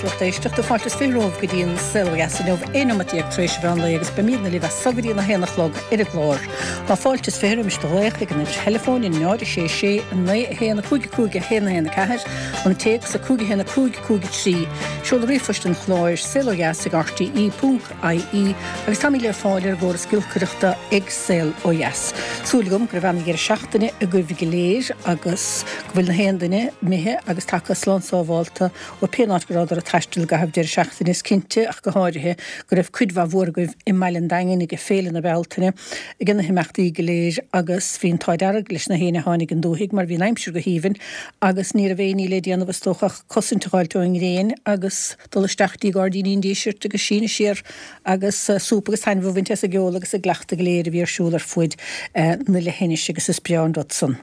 a lucht éisteachta. Fáilte is 20 romhaibh go dtí an Saol Ó Dheas inniu, 11 neomat tar éis an mheán lae agus beimidne libh as so go dtí an 1 a chlog ar an gclár. Tá fáilte is 20 roimis do ghlaoch ag an uimhir theileafóin, 0 6 6 9 1 5 5 1 1 4, an téacs 5 1 5 5 3, seoladh ríomhphoist an chláir, saolodheas ag rte ponc ie, agus táimid le fáil ar an gcóras giolcaireachta ag Saol Ó Dheas. Súil agam go raibh ana-dheireadh seachtaine agaibh go léir agus go bhfuil na haon duine imithe agus tagtha slán sábhálta ó pé áit go rabhadar ag taisteal i gcaitheamh deireadh seachtaine. Is cinnte, ach go háirithe, go raibh cuid mhaith mhór agaibh i mBaile an Daingin ag Féile na Bealtaine, ag na himeachtaí go léir agus bhí an t-ádh dearg leis na héinne a tháinig an dúthaigh mar bhí an aimsir go haoibhinn agus ní raibh aon ní le déanamh is dócha ach cosaint a dh'fháilt ón ngréin agus dul isteach dtí Gairdíní an Dísirt agus síneadh siar agus súp agus taitneamh a bhaint as an gceol agus an gcleachtadh go léir a bhí ar siúl ar fuaid na leithinise agus is breá an rud san.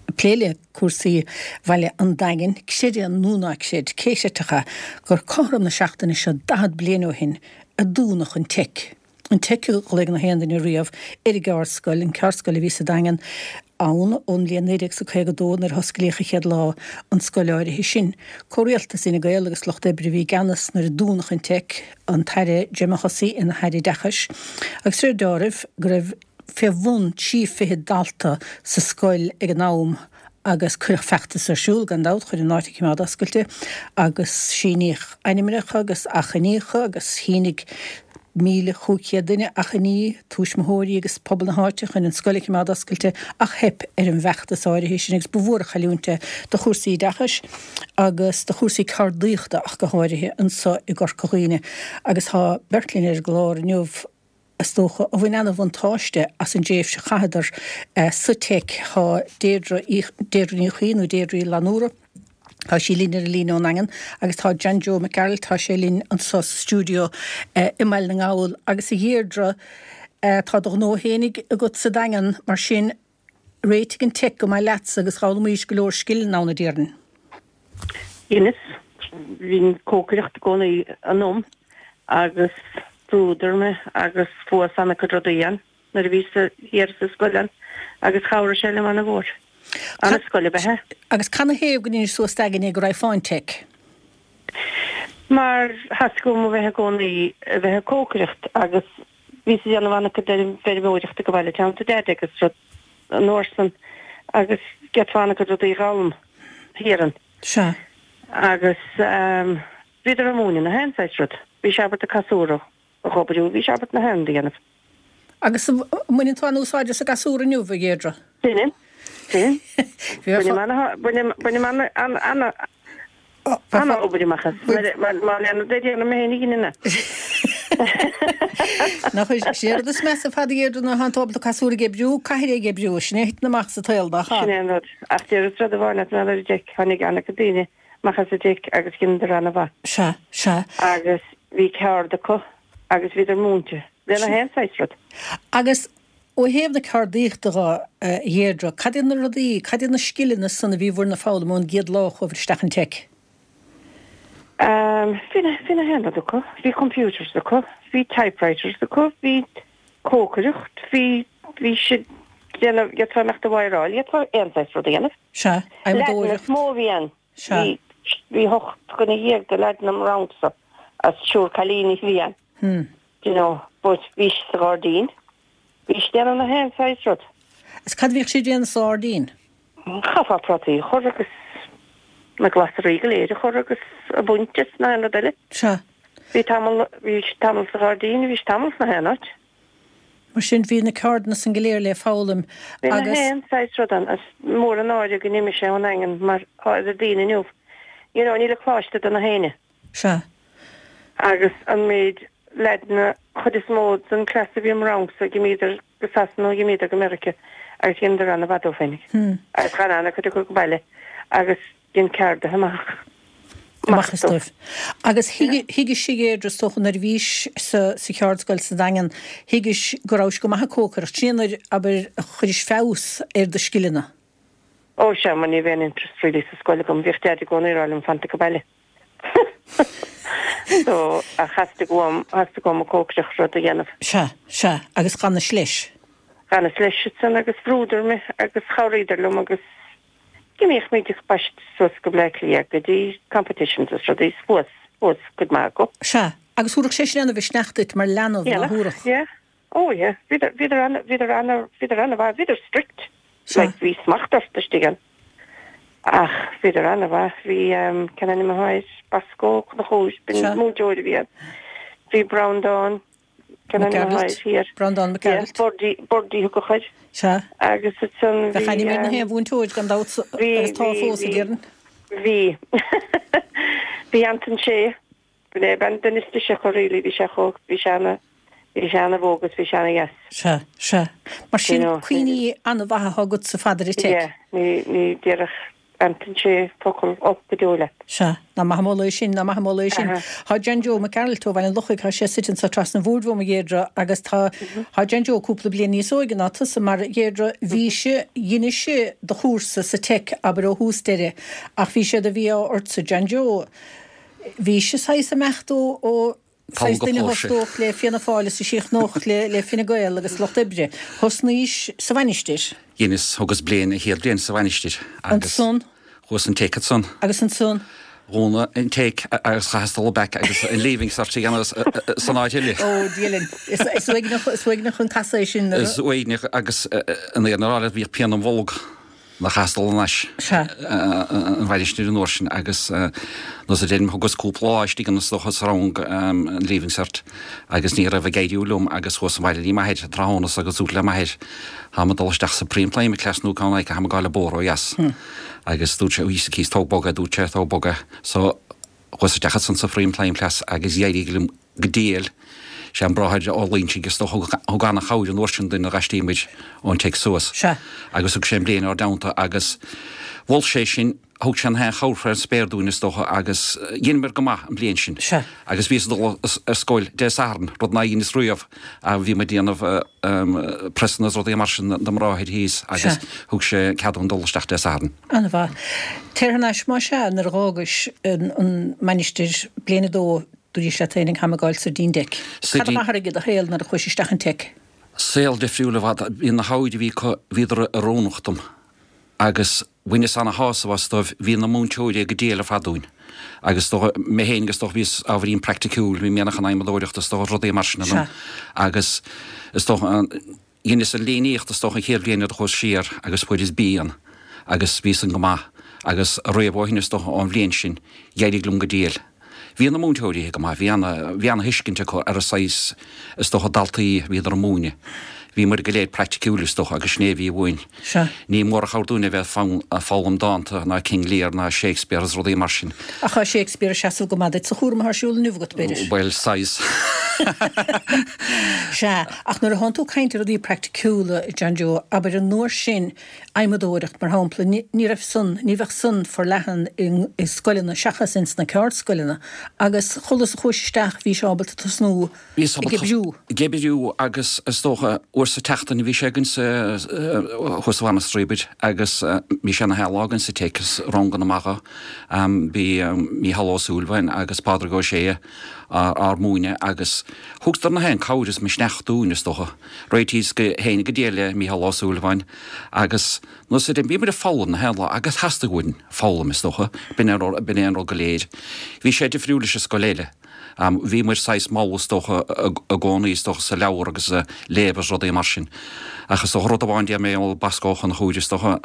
Ag plé le cúrsaí Bhaile an Daingin, creid é nó ná creid, cé chreidfeadh é, gur cothrom na seachtaine seo 40 bliain ó shin a dúnadh an Teic. An Teic a ghlaoigh na haon duine riamh ar an gceardscoil, an ceardscoil a bhí sa Daingean ann ón mbliain 1952 nuair a hosclaíodh an chéad lá an scoil áirithe sin. Comhrialtas Fhine Gael agus Lucht Oibre a bhí i gceannas nuair a dúnadh an Teic, an tAire Gemma Hussey ina hAire Oideachais, agus de réir deáraimh go raibh fé bhun 30 dalta sa scoil ag an am agus cuireadh feachtas ar siúl, gan dabht, chun an áit a chimeád oscailte agus síníodh ainmneacha agus achainíocha agus shínigh 1,500 duine achainí, tuismitheoirí agus pobal na háite, chun an scoil a chimeád oscailte ach theip ar an bhfeachtas áirithe sin agus ba mhór an chailliúint é do chúrsaí oideachais agus do chúrsaí ceardaíochta ach go háirithe anso i gCorca Dhuibhne agus tá beirt linn ar an gclár inniu is dócha, a bhain ana-bhuntáiste as an dtréimhse a chaitheadar sa Teic. Tá Deirdre, Deirdre Ní Chuinn nó Deirdre Uí Fhlannúra, tá sí linn ar an líne ón nDaingean agus tá John Joe Mac Gearailt, tá sé linn anso sa stiúideo i mBaile na nGall. Agus a Dheirdre, tá do ghnó fhéinig agat sa Daingean, mar sin réitigh an Teic go maith leatsa agus d'fhoghlaimís go leor scileanna ann, a déarfainn. Dheineas. Bhí an cócaireacht i gcónaí ionam agus bhrúdar mé agus fuaireas ana-chuid rudaí ann nuair a bhíos thiar sa scoil ann agus chabhraigh sé liom ana-mhór. Ana-scoil ab ea é. Agus canathaobh go ndeinis suas d'aigne go raghfá an Teic? Mar theastaigh uaim a bheith i gcónaí a bheith ag cócaireacht agus Bhíos ag déanamh an-chuid feirmeoireachta ag an bhaile i dteannta Deaide agus rud an uair san agus d'fhéadfá an-chuid rudaí a dh'fhoghlaim thiar ann. Sea. Agus bhíodar ag múineadh na haon saghas rud. Bhí sé ábalta casúr a dh'oibriú, bhí sé ábalta na haon rud a dhéanamh. Agus an mbaineann tú an-úsáid as an gcasúr inniu, a Dheirdre? Bainim. Bainim. Bainim, bainim an-, Ana-obair amach as. Má leanann de déanfaidh mé féin a chinneadh. Nach é an rud is measa ar fad a Dheirdre nuair atánn tú ábalta casúr ag oibriú, caithfidh é ag oibriú, sin é a thiteann amach sa tsaol, nach ea? Sin é an rud. Ach déarfas rud amháin leat mar gheall ar an dTeic, tháinig an-chuid daoine amach as an dTeic agus dheineadar ana-mhaith. Sea, sea. Agus bhí ceard acu agus bhíodar múinte le na haon saghas rud. Agus Ó thaobh na ceardaíochta dho, a Dheirdre, cad iad na rudaí, cad iad na scileanna san a bhí bhur n-foghlaim ón gcéad lá a chuabhair isteach an Teic? Ehm, bhí na, bhí na haon rud acu. Bhí computers acu, bhí typewriters acu, bhí cócaireacht, bhí, bhí siad déanamh, d'fhéadfá imeacht a wireáil, d'fhéadfá aon saghas rud a dhéanamh. Sea, Leaideanna is mó a bhí ann. Sea. Bhí, bhí hocht dhuine dhéag de leaideanna im rangsa agus triúr cailíní a bhí ann. Hmm. Do you know, but bhí siad sa ghairdín. Bhí siad déanamh na haon saghas rud. Is cad a bhíodh siad déanamh sa ghairdín? Chaithfeá prátaí a chur agus na glasraí go léir a chur agus a bhaint is na haon rud eile. Sea. Bhí tamall, bhí siad tamall sa ghairdín, bhí siad tamall sna haon áit. Mar sin bhí na ceardanna san go léir le foghlaim Bhí na agus. haon saghas rud ann. Is mór an náire go n-imigh sé ón nDaingean mar tá idir daoine inniu. You know, níl an coláiste do na héinne. Sea. Agus an méid leaideanna, chuid is mó den class a bhí im rangsa, dh'imíodar go Sasana nó dh'imíodar go Meirice agus dheineadar ana-mhaith dóibh féinig. Agus d'fhan ana-chuid acu go baile agus dhein ceardaithe amach Amach as dóibh. Agus thuigis, a Dheirdre, is dócha nuair a bhís sa cheardscoil sa Daingean, thuigis go rabhais go maith ag cócaireacht. Sin é nuair, abair, a chuiris feabhas ar do scileanna. Ó sea, mar ní raibh aon interest really sa scoil agam. Bhíodh Deaid i gcónaí ag rá liom fanta go baile. So, ach theastaigh uaim, theastaigh uaim an cócaireacht rud a dhéanamh. Sea, sea, agus dh'fhanais leis. Dh'fhanas leis ansan agus bhrúdar mé agus chabhraíodar liom agus d'imíodh muid ag baist suas go Bleá Cliath go dtí competitions is rudaí is fuas. Fuas cuid maith acu. Sea. Agus thabharfadh sé sin ana-mhisneach duit mar leanbh, ná thabharfadh? Yeah. Oh yeah. Bhíodar, bhíodar ana, bhíodar ana, bhíodar ana-mhaith. Bhíodar strict. Sea. Like bhí smacht ort istigh ann. Ach bhíodar ana-mhaith. Bhí, cén ainm atá air? Bosco Ó Conchúir, b'in múinteoir a bhí ann. Bhí Breandán, cén ainm atá air thiar? Breandán Mac Gearailt. Yeah, Birdie, Birdie a thugadh air. Sea. Agus ansan bhí. Bheadh ainm ar na haon mhúinteoir gan dabht agus tá fós, a déarfainn. Bhí. Bhí Anton Sé. B'in é an duine is deise acu really, bhí sé chomh, bhí sé ana, bhí sé ana-bhó agus bhí sé ana-dheas. Sea, sea. Mar sin, cuimhní ana-mhaithe atá agatsa fada ar an Teic. Yeah, ní, ní déarfadh Anton Sé focal olc go deo leat. Sea, nach maith an moladh é sin, nach maith an moladh é sin. Tá John Joe Mac Gearailt ó Bhaile an Lochaigh, tá sé suite anso trasna an bhóthair uaim, a Dheirdre, agus tá, tá John Joe cúpla bliain níos óige ná tusa, mar, a Dheirdre, bhí sé, dheinis do chúrsa sa Teic, abair, ó thús deireadh, ach bhí sé de mhí-ádh ortsa, John Joe, Bhís saghas ag imeacht ó saghas duine a thosnódh le Fianna Fáil is a chríochnódh le Fine Gael agus Lucht Oibre. Thosnaís sa Mhainistir. Dheineas, thugas bliain, an chéad bhliain sa Mhainistir agus. Ansan? Chuas an Teic ansan. Agus ansan? Dhúnadh an Teic agus chaitheas dul back agus an Leaving Cert a dhéanamh san áit eile. Ó, Dia linn. Is uaigneach, is uaigneach an casadh é sin. Is uaigneach agus an fhírinne a rá leat bhíodh pian im bholg. Nach chaitheas dul thar n-ais an Mhainistir an uair sin agus nós a deirim thugas cúpla lá istigh ann is dócha sa rang an Leaving Cert agus ní raibh ag éiriú liom agus chuas abhaile dtí m'athair tráthnóna agus dúrt le m'athair táim ag dul isteach sa Pre-Employment Class nó ceann acu táim ag gabháil ag bóthar ó dheas agus dúirt sé Íosa Críost tóg bog é dúirt sé tóg bog é so chuas isteach ansan sa Pre-Employment Class agus d'éirigh liom go diail. Sé an Bráthair Ó Loingsigh is dócha thug ana-chabhair an uair sin dúinn nuair d'aistrigh muid ón Teic suas. Sea. Agus thug sé an bhliain ár dteannta agus mhol sé sin, thug sé an haon chabhair fén spéir dúinn is dócha agus dheineamar go maith an bhliain sin. Sea. Agus bhíos ag dul ar scoil Dé Sathairn, rud nár dheineas riamh, bhí muid ag déanamh priosanna is rudaí mar sin do m'athair thíos agus thug sé cead dúinn dul isteach Dé Sathairn. An-mhaith. Téir thar n-ais más ea nuair a dh'fhágais an Mainistir bliain a dó Dúraís leat féinig tháim ag gabháil soir dtí'n dTeic. Cad a d'athraigh i do shaol nuair a chuais isteach an Teic? Saol difriúil i bhfad. Bhí na hábhair a bhí acu, bhíodar oiriúnach dom. Agus bhaineas ana-shásamh astu. Bhí na múinteoirí go diail ar fad dúinn. Agus is dócha, mé féin is dócha, bhíos ábhairín praiticiúil, bhí mianach an adhmadóireachta is dócha, rudaí mar sin ionam. Agus is dócha, Dheineas an líníocht is dócha an chéad bhliain nuair a chuas siar agus fuaireas B ann agus bhí san go maith agus riamh ó shin is dócha ón bhliain sin d'éirigh liom go diail. Bhí na múinteoirí go maith, bhí ana, bhí ana thuiscint acu ar an saghas is dócha daltaí a bhíodar a múineadh. Bhí muid go léir praiticiúil is dócha agus sin é a bhí uainn. Sea. Ní mór an chabhair dúinn a bheith ag foghlaim dánta ná King Lear ná Shakespeare is rudaí mar sin. Ach tá Shakespeare ag seasamh go maith duit sa chúram atá ar siúl inniu agat, b'fhéidir. Bhuel, saghas. Sea, ach nuair atánn tú ag caint ar rudaí praiticiúla, a John Joe, abair an uair sin, adhmadóireacht, mar shampla, ní raibh san, ní bheadh san forleathan i scoileanna seachas ins na ceardscoileanna agus chulas a chuais isteach bhís ábalta tosnú Bhíos ag oibriú. Ag oibriú agus is dócha uair sa tseachtain bhí sé againn sa, thuas sa Mhainistir abair agus bhí sé na haon lá againn sa Teic is ranganna maithe. Bhí Mícheál Ó Súilleabháin agus Pádraig Ó Sé ár múineadh agus thugadar na haon cabhair is misneach dúinn is dócha. Réitíos go féin go diail le Mícheál Ó Súilleabháin agus nós a bhí muid ag foghlaim na haon lá agus theastaigh uainn foghlaim is dócha. B'in é an rud go léir. Bhí sé difriúil leis an scoil eile. Bhí muid saghas mall is dócha i gcónaí is dócha sa leabhar agus sa léamh agus rudaí mar sin. Ach is dócha rud amháin déarfaidh mé ó Bosco Ó Conchúir is dócha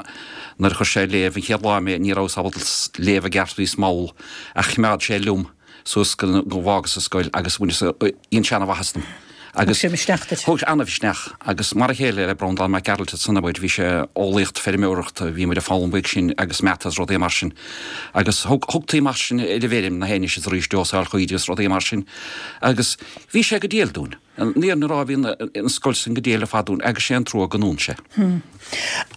nuair a chuir sé ag léamh an chéad lá mé ní rabhas ábalta léamh i gceart bhíos mall ach choimeád sé liom suas go bhfágas an scoil agus bhaineas dhein sé ana-mhaitheas dom. Thug sé misneach duit. Thug sé ana-mhisneach agus mar a chéile le Breandán Mac Gearailt ansan abair, bhí sé eolaíocht feirmeoireachta, bhí muid ag foghlaim uaidh sin agus mata is rudaí mar sin. Agus thug, thugtaí mar sin ar an bhfeirm na haon is arís dósáil chaoirigh is rudaí mar sin. Agus bhí sé go diail dúinn. An fhírinne a rá bhí an, an scoil san go diail ar fad dúinn agus sé an trua go ndún sé.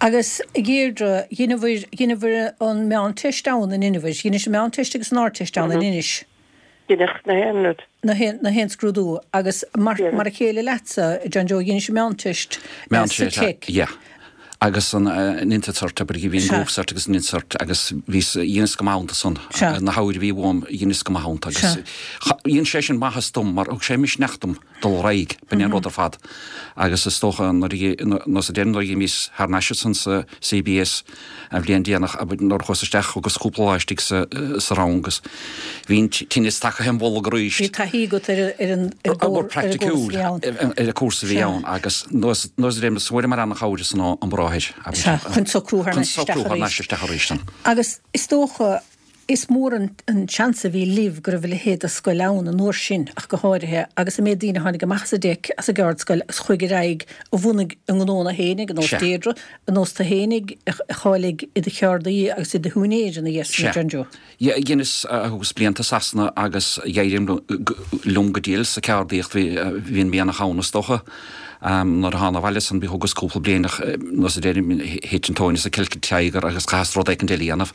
Agus a Dheirdre, dheineabhair, dheineabhair an Meánteist ann an ndeineabhair? Dheinis an Meánteist agus an Ardteist ann in Inis? Dheineadh na haon rud. Na haon, na haon scrúdú. Agus mar, mar a chéile leatsa, John Joe, dheinis an Meánteist sa Teic. Yeah. Agus an Intercert, abair, bhí an Group Cert agus an Intercert agus bhíos, dheineas go maith iontu san. Na habhair a bhí uaim, dheineas go maith iontu agus dhein sé sin maitheas dom mar thug sé misneach dom dul ar aghaidh, b'in é an rud ar fad. Agus is dócha nuair a, nó sa deireadh nuair a dh'imíos thar n-ais ansan sa CBS an bhliain déanach, abair, nuair a chuas isteach thugas cúpla lá istigh sa, sa rang agus bhí an tinneas tagtha im bholg arís. Bhí taithí agat ar ar an ar an gcúrsa a bhí ann. Ar an cúrsa a bhí ann agus nós nós a deirim fuaireamar ana-chabhair ansan ón mbráthair, abair. Sea, chun socrú thar n-ais isteach arís. Chun socrú thar n-ais isteach arís. Agus is dócha Is mór an seans a bhí libh go raibh a leithéid de scoil ann an uair sin ach go háirithe, agus an méid daoine a tháinig amach as an dTeic, as an gceardscoil agus chuaigh ar aghaidh a bhunaigh a ngnónna fhéinig, ar nós Deirdre, ar nós tú fhéinig, a cháiligh i do cheardaí agus i do shiúinéir ina dhiaidh sin, John Joe. Dheineas, thugas blianta i Sasana agus d'éirigh liom go diail sa cheardaíocht, bhí an mianach ann is dócha. Nuair a thána abhaile ansan bhí thugas cúpla bliain ach nós a deirim thit an tóin as an Celtic Tiger agus chaitheas rud éicint eile a dhéanamh.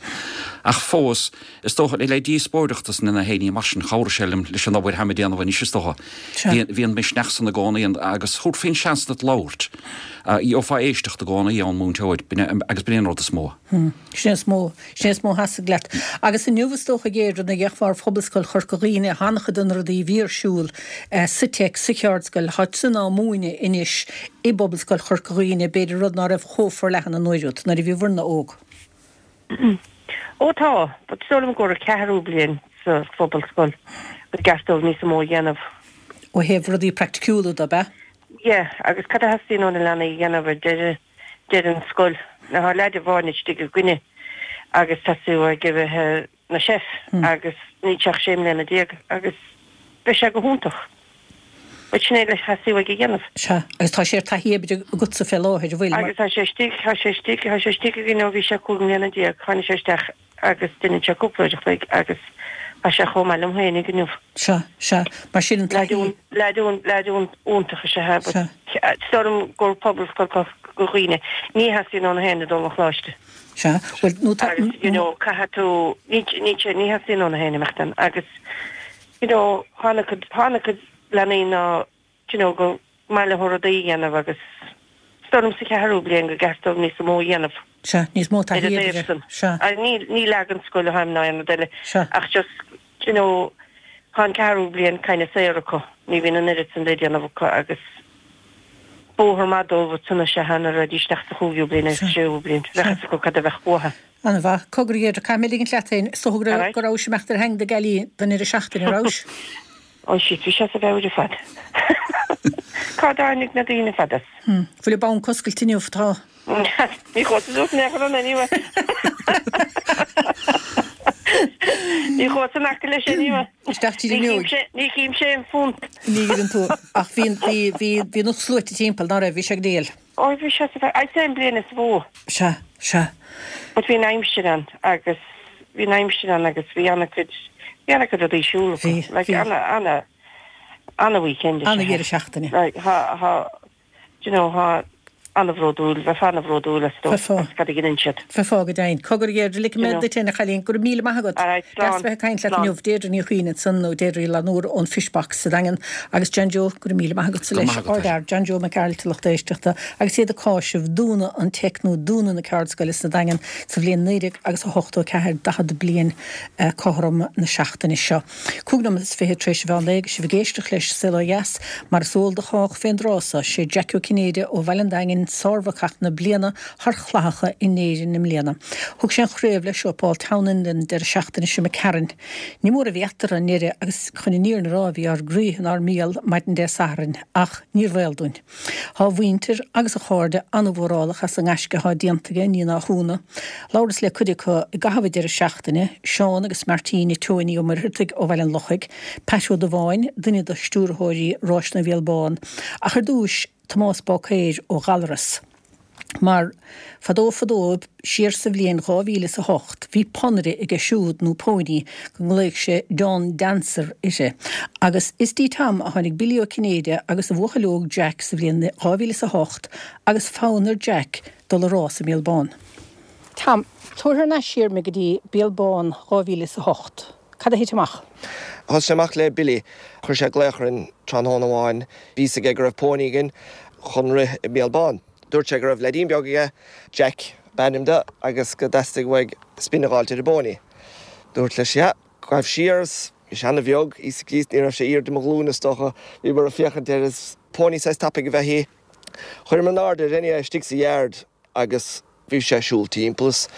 Ach fós, is dócha, le díospóireacht is na héinní mar sin, chabhraigh sé liom leis an obair tháim ag déanamh anois is dócha. Bhí an misneach san i gcónaí agus thabharfaí an seans duit labhairt. Gheofá éisteacht i gcónaí ón múinteoir agus b'in é an rud is mó. Sin é is mó. Sin é is mó a theastaigh leat. Agus inniu, is dócha, a Dheirdre, nuair a fhéachfá ar Phobalscoil Chorca Dhuibhne, an-chuid de na rudaí a bhí ar siúl sa Teic, sa cheardscoil, tá sin á múineadh anois i bPobalscoil Chorca Dhuibhne, b'fhéidir, rud ná raibh chomh forleathan an uair úd, nuair a bhíobhairne óg. Ó tá, but is dóigh liom gur an ceathrú bliain sa phobalscoil go gceart dóibh níos mó a dhéanamh. Ó thaobh rudaí praiticiúla de, ab ea? Yeah, agus cad a theastaíonn ó na leanaí a dhéanamh ar deireadh deireadh an scoil. Now tá leaid amháin istigh againne agus teastaíonn uaidh a bheith ina chef agus níl sé ach 16 mbliana agus beidh sé go hiontach. But sin é a theastaíonn uaidh a dhéanamh. Sea, agus tá sé ar taithí oibre agatsa fé láthair, an bhfuil? Agus tá sé istigh, tá sé istigh, tá sé istigh againn ó bhí sé 15 mbliana, tháinig sé isteach agus deineann sé cúpla uair a chloig agus tá sé chomh maith liom féinig inniu. Sea, sea. Mar sin an taithí. Leaid leaid iontach is ea é but is dóigh liom gur Pobalscoil Chorca Dhuibhne. Ní theastaíonn ó na héinne dul 'on choláiste. Sea. Bhuel, nó tá. Agus, you know, caithfidh tú, ní, ní, ní theastaíonn ó na héinne imeacht ann agus, you know, tá an-chuid, tá an-chuid leanaí ná you know, go maith leo rudaí a dhéanamh agus is dóigh liom sa cheathrú bliain go gceart dóibh níos mó a dhéanamh. Sea, níos mó taithí oibre. Sea. Ní, ní lag an scoil atháim ná aon rud eile. Sea. Ach just, you know, tá an ceathrú bliain kind of saor acu, ní bhíonn an oiread san le déanamh acu agus bóthar maith dóibh ansan is ea nuair a raghaidís isteach sa chúigiú bliain agus sa séú bliain, bheadh fhios acu cad a bheadh uathu. An-mhaith. Cogar, a Dheirdre, caithfidh mé ligint leat féin. Is dócha go raibh, go rabhais ag imeacht ar theanga do Gailí don ndeireadh seachtaine, an rabhais? Ó shit, bhí sé as a mheabhair ar fad. Cá dtáinig na daoine ar fad as? Bhfuil an banc oscailte inniu? Tá. Ní chuas suas in aon chor ann anyway. Ní chuas in aice leis anyway. Isteach tríd an fhuinneoig. Ní chímse aon phunt. Ní dheireann tú. Ach bhí, bhí, bhí, bhí na sluaite timpeall, ná raibh? Bhí sé go diail. Ó bhí sé as a mheabhair. I'd say an bliain is mó. Sea, sea. But bhí an aimsir ann agus bhí an aimsir ann agus bhí ana-chuid, bhí ana-chuid rudaí ar siúl acu. Bhí, Like bhí. ana, ana, ana-weekend is ea. Ana-dheireadh seachtaine. Like thá, thá, do you know, thá ana-bhródúil, bheifeá ana-bhródúil astu Bheifeá. as cad a dheineann siad. Bheifeá go deimhin. Cogar a Dheirdre, ligfidh You mé know. duit féin a chailín. Go raibh míle maith agat. Alright, Deas slán, bheith ag caint leat slán. inniu. Deirdre Ní Chuinn ansan nó Deirdre Uí Fhlannúir ón Fishbox sa Daingean agus John Joe, go raibh míle maith agatsa Go raibh leis. maith agat, Ard fhear, John Joe Mac Gearailt a lucht éisteachta agus iad ag cáiseamh dúnadh an Teic nó dúnadh na ceardscoile sna Daingean sa bhliain 1984, 40 bliain cothrom na seachtaine seo. 25 nóiméad tar éis an mheán lae agus sibh ag éisteacht leis Saol Ó Dheas, mar is eol do chách fén dtráth so, sé Jackie Ó Cinnéide ó Bhaile an Daingin sár-bhacach na bliana thar chlathacha in Éirinn i mbliana. Thug sé an chraobh leis ó Paul Townend an deireadh seachtaine seo imigh tharainn. Ní mór a bhí eatarthu i ndeireadh agus chun an fhírinne a rá bhí ár gcroíthe inár mbéal maidin Dé Sathairn ach níorbh eol dúinn. Tá a mhuintir agus a chairde an-mhórálach as an ngaisce atá déanta aige, ní nach ionadh. Labhras le cuid acu i gcaitheamh an deireadh seachtaine, Seán agus Martina Tony Ó Muircheartaigh ó Bhaile an Lochaigh, Pat Ó Dubháin, duine de stiúrthóirí Ráiseanna Bhéal Bán, ach ar dtúis, Tomás Bácaeir ó Ghallaras. Mar, fadó fadó, siar sa bhliain 2008, bhí ponaire aige siúd, nó pony, go nglaodh sé Dawn Dancer uirthi. Agus is dtí Tom a tháinig Billy Ó Cinnéide agus a bhuachaill óg Jack sa bhliain 2008 agus fonn ar Jack dul a rás i mBéal Bán. Tom, tabhair thar n-ais siar mé go dtí Béal Bán 2008. Cad a thit amach? Thosaigh sé amach le Billy. Chuir sé glaoch orainn tráthnóna amháin. Bhí fhios aige go raibh póiní againn chun rith i mBéal Bán. Dúirt sé go raibh leaidín beag aige, Jack ab ainm do, agus go dteastaigh uaidh spin a dh'fháilt ar an bpóiní. Dúrt leis, yeah, gabh siar is bhí sé ana-bheag, Íosa Críost, ní raibh sé airde mo ghlúine is dócha, bhíomar ag féachaint air is póiní saghas tapaidh ab ea í. Chuireamar in airde air anyway istigh sa yard agus bhí sé ag siúl timpeall is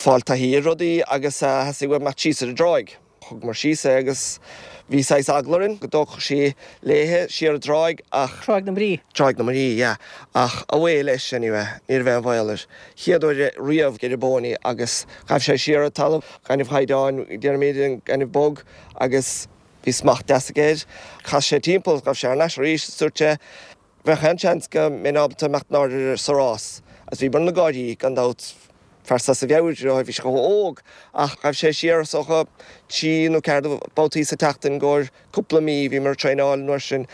fáil taithí ar rudaí agus theastaigh uaidh imeacht síos ar an dtráigh. Thugamar síos é agus bhí saghas eagla orainn go dtógfadh sí léithe siar an dtráigh ach. Tráigh na Muirí. Tráigh na Muirí, yeah. Ach away leis anyway, ní raibh aon bhaol air. Chéad uair riamh ar an bpóiní agus ghabh sé siar an talamh, gaineamh chaighdeáin, déarfaimid, an gaineamh bog agus bhí smacht deas aige air. Chas sé timpeall, ghabh sé thar n-ais arís is dúirt sé, Bheadh aon seans go mbeinn ábalta imeacht in airde air sa rás agus bhíomar ag gáirí, gan dabht, fear as a mheabhair, bhí sé chomh hóg ach ghabh sé siar is dócha trí nó ceathair babhtaí sa tseachtain i gcomhair cúpla mí, bhíomar ag traenáil an uair sin.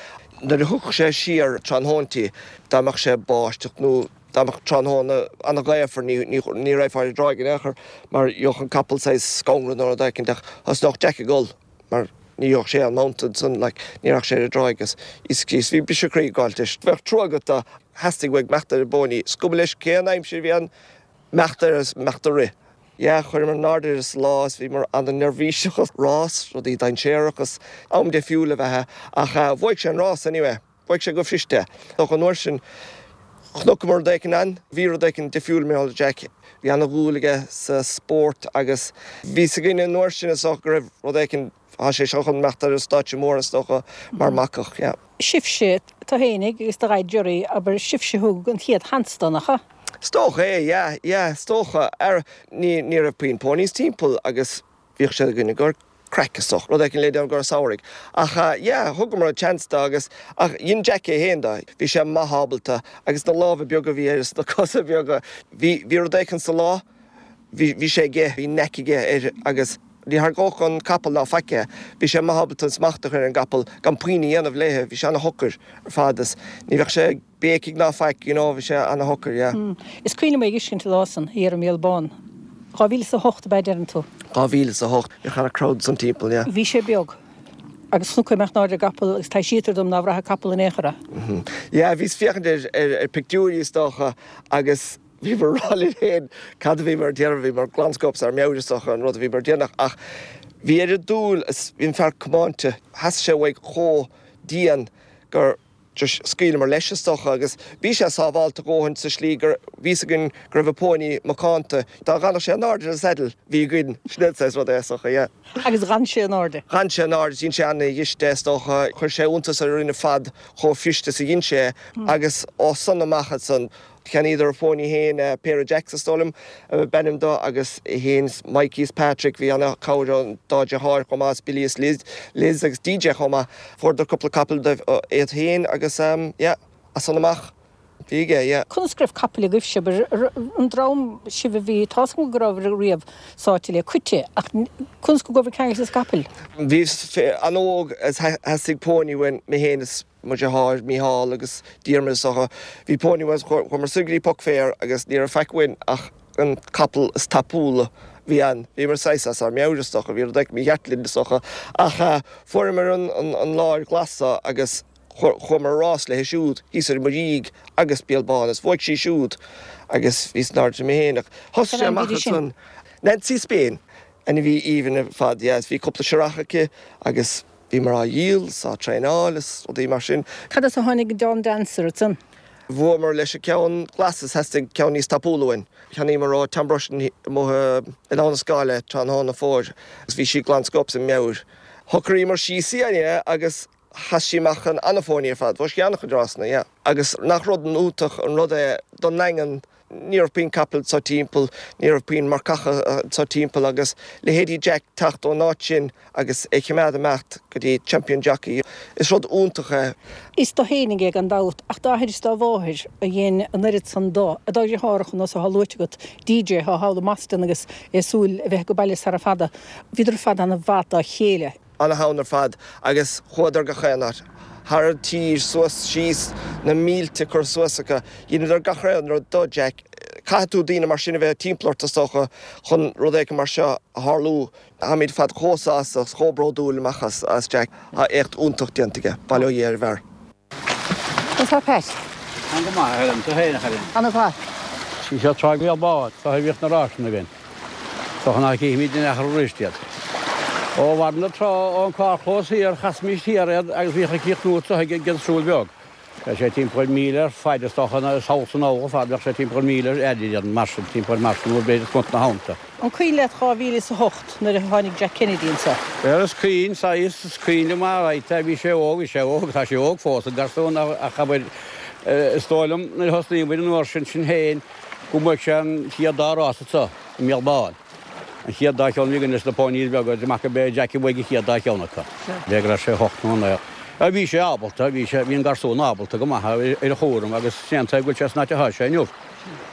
Nuair a thiocfadh sé siar tráthnóintí, dá mbeadh sé ag báisteach nó dá mbeadh tráthnóna an-ghaofar ní ní raghfá ar an dtráigh in aon chor mar gheobhadh an capall saghas scanradh nó rud éicint ach thosnódh Jack ag gol. mar ní gheobhadh sé an mount ansan like ní raghadh sé ar an dtráigh agus Íosa Críost bhí briseadh croí ag gabháilt leis. Bheadh trua agat dó, theastaigh uaidh imeacht ar an bpóiní, is cuma leis cén aimsir a bhí ann, imeacht air is imeacht ag rith. Yeah, chuireamar in airde air sa lá is bhíomar ana-neirbhíseach is rás, rudaí dainséarach is am deifriúil ab ea é ach bhuaigh sé an rás anyway. Bhuaigh sé go fuirist. Ach an uair sin, chonaiceamar rud éicint ann. Bhí rud éicint difriúil mar gheall ar Jack. Bhí ana-dhúil aige sa spórt agus bhí 'fhios againn an uair sin is dócha go raibh rud éicint, tá sé seo chun imeacht ar an stáitse mór is dócha, mar marcach, yeah. Sibhse, tú fhéinig agus do dhaid Gerry, abair, sibhse thug an chéad sheans dó, nach ea? Is dócha é, yeah, yeah, is dócha. Ara, ní, ní raibh puinn ponies timpeall agus Bhíodh siad againn i gcomhair craic is dócha, rud éicint le déanamh i gcomhair an samhraidh. Ach yeah, thugamar an chance dó agus, ach dhein Jack é féin dó. Bhí sé maith ábalta agus na lámha beaga a bhí air is na cosa beaga. Bhí, bhí rud éicint sa lá, bhí, bhí sé aige, bhí knack aige air agus ní tharraingeodh an capall ná faic é. Bhí sé maith ábalta an smacht a chur ar an gcapall gan puinn a dhéanamh léithe, bhí sé ana-shocair ar fad is ní bheadh sé ag, béicigh ná faic, you know, bhí sé ana-shocair, yeah. Is cuimhin liom é a fheiscint an lá san, thiar i mBéal Bán. 2008 ab ea deireann tú? 2008, bhíodh ana-crowd ansan timpeall, yeah. Bhí sé beag. Agus chonac é ag imeacht in airde ar an gcapall agus taibhsítear dom nár bhraith an capall in aon chor é. Yeah, bhíos féachaint ar, ar, ar pictiúirí is dócha agus bhíomar ag rá linn féin cad a bhíomar ag déanamh, bhíomar glan scope as ár meabhair is dócha an rud a bhíomar ag déanamh ach bhí oiread dúil is bhí an fear comáinte, theastaigh sé uaidh chomh dian gur just scaoileamar leis is dócha agus bhí sé sábhálta a dhóthain sa slí gur bhí 'fhios againn go raibh an póiní macánta. Dá bhfanfadh sé in airde ar an saddle bhí againn, sin an saghas rud é is dócha, yeah. Agus d'fhan sé in airde? D'fhan sé in airde, dhein sé ana-ghaiste is dócha, chuir sé iontas orainn ar fad chomh fuirist is a dhein sé é agus ó san amach ansan, Cheannaíodar a phóiní féin, pair of Jacks is dóigh liom ab ainm dó, agus é féin is Mikey is Patrick, bhí ana chabhair ón dá dheartháir chomh maith, is Billy is Liz, Liz agus DJ chomh maith. Fuaireadar cúpla capall dóibh iad féin agus yeah, as san amach bhí aige, yeah. Conas go raibh capaill agaibhse, an dream sibh a bhí, tá's agam go rabhabhair riamh sáite le coite, ach conas go gcuabhair ceangailte le capaill? Bhíos an-óg is theastaigh póiní uainn, mé féin is mo dheartháir Mícheál agus Diarmuid is dócha. Bhí póiní uainn, chuamar soir go dtí Puck Fair agus ní raibh faic uainn ach an capall is tapúla a bhí ann. Bhíomar saghas as ár meabhair is dócha, bhí rud éicint mícheart linn is dócha. Ach fuaireamar an láir ghlas so agus chuamar ag rás léi siúd thíos ar an Muirígh agus Béal Bán is bhuaigh sí siúd agus bhíos in airde mé féin ach thosaigh sé amach ansan. Nancy Spain, ainmhí aoibhinn ar fad, yeah, is bhí cúpla searrach aici agus Bhíomar á dhíol is á traenáil is rudaí mar sin. Cad as a tháinig Dawn Dancer ansan? Bhuamar leis an ceann glas is theastaigh ceann níos tapúla uainn. Cheannaíomar ó Tom Rushen amuigh i nDamhna Scáil é tráthnóna fómhair agus bhí sí glan scope as a meabhair. Shocraíomar síos í anyway agus chas sí amach in ana-phóiní ar fad. Bhuaigh sí an-chuid rásanna, yeah. Agus nach rud iontach an rud é don nDaingean Ní raibh puinn capall anso timpeall, ní raibh puinn marcacha anso timpeall agus leithéidí Jack teacht ón áit sin agus é chimeád imeacht go dtí Champion Jockey, is rud iontach é. Is dó fhéinig é gan dabht, ach dá athair is dá mháthair a dhein an oiread san dó, a dá dheartháireacha nós athá luaite agat, DJ athá thall i mBoston agus é ag súil a bheith ag baile sara fada. Bhíodar ar fad ana-mhaith dá chéile. ana-theann ar fad agus chuadar gach aon áit, thar an tír, suas, síos, na mílte curtha suas acu. Dheineadar gach aon rud do Jack. Caithfidh tú daoine mar sin a bheith timpeall ort, is dócha, chun rud éicint mar seo a tharlú. Táimid ar fad chomh sásta agus chomh bródúil amach as Jack. Tá éacht iontach déanta aige. Bail ó Dhia ar an bhfear. Conas tá Pat? Tá go maith, a Helen, tú féin, a Helen? Ana-mhaith. Sí seo Trá Bhéal Bán, seo a bhíodh na ráiseanna againn. Is dócha nach gcífimid in aon chor arís iad. Ó bharr na trá ón carrchlós thiar, chasaimis thiar iad agus bhíodh ag críochnú anseo ag an Siúl Beag. Bheadh sé timpeall míle ar faid, is dócha, sall is anall ar fad, bheadh sé timpeall míle ar fhaid iad, mar sin, timpeall mar sin, nó b'fhéidir sna thonnta. An cuimhin leat 2008 nuair a tháinig Jack Kennedy anseo? Bhuel, is cuimhin, saghas, is cuimhin liom alright é, bhí sé óg, bhí sé óg, tá sé óg fós, an garsún, ach abair, is dóigh liom nuair a thosnaigh muid an uair sin, sin féin, go mbuaigh sé an chéad dá rás anseo i mBéal Bán. An chéad dá cheann a bhí againn leis na ponies beaga, amach go b'é Jack a bhuaigh an chéad dá cheann acu. B'fhéidir go raibh sé hocht nó naoi. Bhí sé ábalta, bhí sé, bhí an garsún ábalta go maith ar a chúram agus sin é an tuige go bhfuil sé san áit atá sé inniu.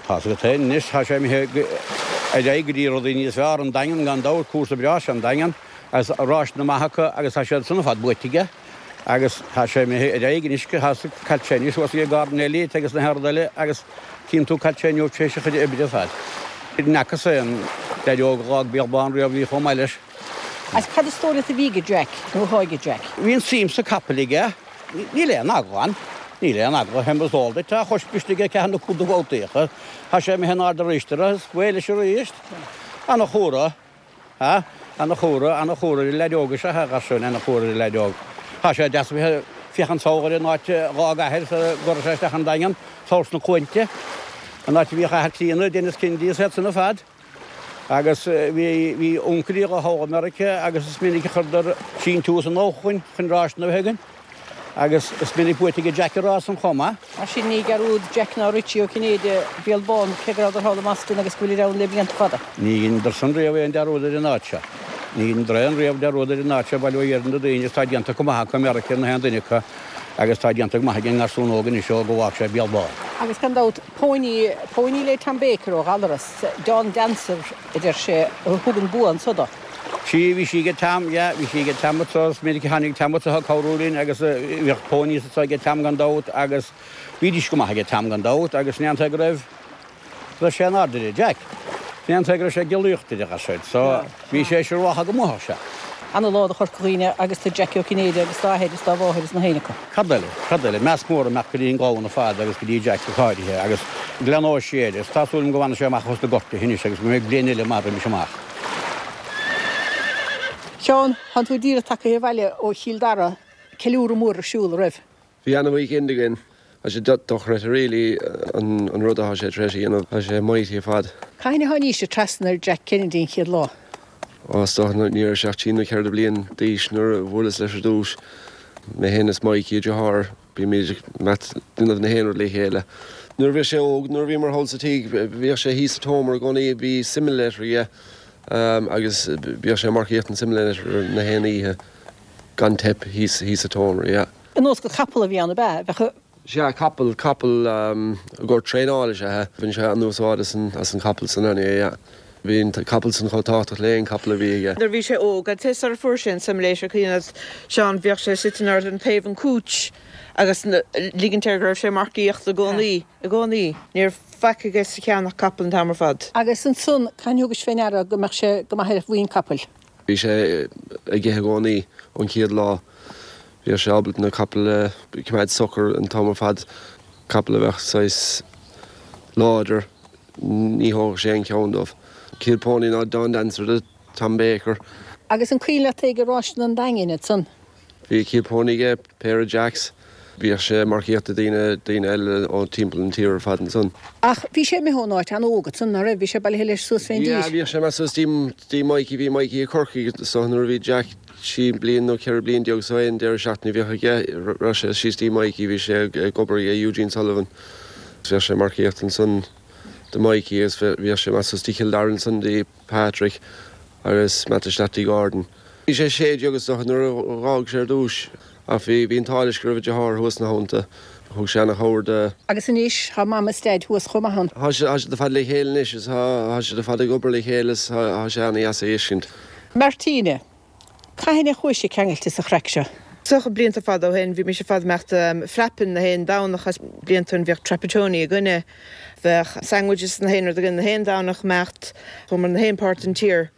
Tá's agat féin anois, tá sé imithe ar aghaidh go dtí rudaí níos fearr, an Daingean gan dabht, cúrsa breá is ea an Daingean agus ráiseanna maithe acu agus tá siad san ar fad buaite aige agus tá sé imithe ar aghaidh anois go tá's agat cá bhfuil sé anois thuas ag Gordon Elliott agus na haon rud eile agus Tchíonn tú cá bhfuil sé inniu tar éis a chuid oibre ar fad. Ní fhacthas aon leaid óg a dh'fhág Béal Bán riamh a bhí chomh maith leis. Agus cad is dóigh leat a bhí aige Jack, nó atá aige Jack? Bhí an suim sa capall aige. Níl aon eagla ann. Níl aon eagla. Fé mar is eol duit, tá a chois briste aige ceathair nó cúig de bhabhtaíocha. Tá sé imithe in airde arís uirthi, is away leis arís. Ana-chumhra. Ha? Ana-chumhra, ana-chumhra ar an leaid óg is ea a gharsúin, ana-chumhra ar an leaid óg. Tá sé deas a bheith ag féachaint sall ar an áit a dh'fhág a athair sara gcuireadh sé isteach an Daingean, sall sna Cluainte, an áit a bhíodh athair Clíona, Denis Kennedy is iad san ar fad. Agus bhí, bhí uncailí aige thall i Meiriceá agus is minic a chuireadar síntiús anall chugainn chun ráiseanna a bheith againn. Agus is minic buaite aige Jack an rás san chomh maith. Mar sin, ní dearúd Jack ná Richie Ó Cinnéide Béal Bán, cé go rabhadar thall i mBoston agus go bhfuilid ann le blianta fada. Ní dheineadar san riamh aon dearúd ar an áit seo. Ní dheineadar aon riamh dearúd ar an áit seo, bail ó Dhia ar na daoine agus tá déanta go maith acu i Meiriceá ar na haon duine acu agus tá déanta go maith ag an ngarsún óg anois ó go bhfág sé Béal Bán. Agus gan dabht, póiní, póiní le Tom Baker ó Ghallaras, Dawn Dancer a deir sé, a thug an bua anso dó. Sea, bhí sí aige Tom, yeah, bhí sí aige Tom anso, is minic a tháinig Tom anso ag cabhrú linn agus bhíodh ponies anso aige Tom gan dabht agus bhídís go maith aige Tom gan dabht agus sin é an tuige go raibh, go raibh sé in airde air, Jack, sin é an tuige go raibh sé ag geallaíocht air, a ghasúir, so bhí sé siúráltha go mbuafadh sé. Ana-lá do Chorca Dhuibhne agus do Jackie Ó Cinnéide agus dá athair is dá mháthair is na haoinne acu. Cad eile? Cad eile? Meas mór ag imeacht go dtí an gclann ar fad agus go dtí Jack go háirithe agus leanóidh sé air agus tá súil agam go bhfanfaidh sé amach os na gortuithe anois agus go mbeidh bliain eile maith roimis amach. Seán, Tánn tú díreach tagtha abhaile ó Chill Dara, ceiliúradh mór ar siúl, a raibh? Bhí ana-weekend againn. Tá sé dochreidte really an rud atá sé tar éis a dhéanamh. Tá sé mighty ar fad. Cathain a tháinís trasna ar Jack Kennedy an chéad lá? Ó, is dócha ní raibh sé ach trí nó ceithre bliain d'aois nuair a bhuaileas leis ar dtús. Mé féin is Mikey, a dheartháir, bímid ag déanamh na haon rud le chéile. Nuair a bhí sé óg, nuair a bhíomar thall sa tigh, bhíodh sé thíos sa tseomra i gcónaí, bhí simulator aige agus bhíodh sé ag marcaíocht an simulator na haon oíche gan teip thíos sa tseomra, yeah. Ar nós gur capall a bhí ann, ab ea? Bheadh a. Sea, capall, capall i gcomhair traenála is ea é. Bhain sé an-úsáid as an, as an capall san anyway, yeah. Bhí an capall san chomh tábhachtach le aon capall a bhí aige. Nuair a bhí sé óg, I'd say sara fuair sé an simulator, cuimhin leat Seán, bhíodh sé sitting ar an taobh an couch agus ligint air go raibh sé ag marcaíocht i gcónaí, i gcónaí. Ní raibh faic aige sa cheann ach capall an t-am ar fad. Agus ansan, cathain a thugais fé ndeara go mbeadh sé go maith ar mhuin capaill? Bhí sé ag ithe i gcónaí ón chéad lá. Bhíodh sé ábalta na capaill a choimeád socair an t-am ar fad. Capall a bheadh saghas láidir, ní thógfadh sé aon cheann dóibh. Chéad pony ná Dawn Dancer do Tom Baker. Agus an cuimhin leat é ag ráiseanna an Daingin ansan? Bhí a chéad pony aige, péire Jacks. Bhíodh sé ag marcaíocht do daoine, daoine eile ó timpeall an tír ar fad ansan. Ach bhí sé imithe ón áit an-óg ansan, ná raibh? Bhí sé bailithe leis suas fén dtír. Yeah, bhíodh sé ag imeacht suas dtí, dtí Mikey, bhí Mikey i Corcaigh so nuair a bhí Jack 13 bliain nó 14 bliain so aon deireadh seachtaine bhíodh aige, raibh sé síos dtí Mikey, bhí sé ag obair ag Eugene Sullivan. Bhíodh sé ag marcaíocht ansan do Mikey agus bhíodh sé ag imeacht suas dtí Cill Dara ansan dtí Patrick agus imeacht isteach dtí Gordon. Bhí sé 16 is dócha nuair a dh'fhág sé ar dtúis ach bhí bhí an t-ádh leis go raibh a deartháir thuas ina theannta. Thug sé ana-chabhair do. Agus anois tá Mam is Daid thuas chomh maith ann. Tá siad tá siad ar fad le chéile anois is tá tá siad ar fad ag obair le chéile is tá tá sé ana-dheas a fheiscint. Martina, Cathain a chuaigh sé ceangailte sa chraic seo? Is dócha blianta fada ó shin bhí mise ar fad ag imeacht frapping na haon Domhnach as blianta ó shin bhíodh Trapattoni againne. Bheadh sandwiches na haon rud againn na haon Domhnach imeacht. Chuamar na haon páirt den tír.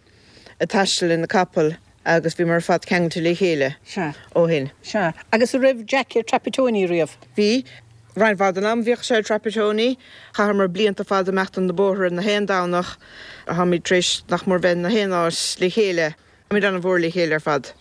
ag taisteal le na capaill agus bhíomar ar fad ceangailte le chéile Sea. ó shin. Sea. Agus an raibh Jack ar Trapattoni riamh? Bhí. Roinnt mhaith den am bhíodh sé ar Trapattoni. Chaitheamar blianta fada imeacht na bóithre na haon Domhnach. Táimid tar éis nach mór bheith na haon áit le chéile. Táimid an-mhór le chéile ar fad.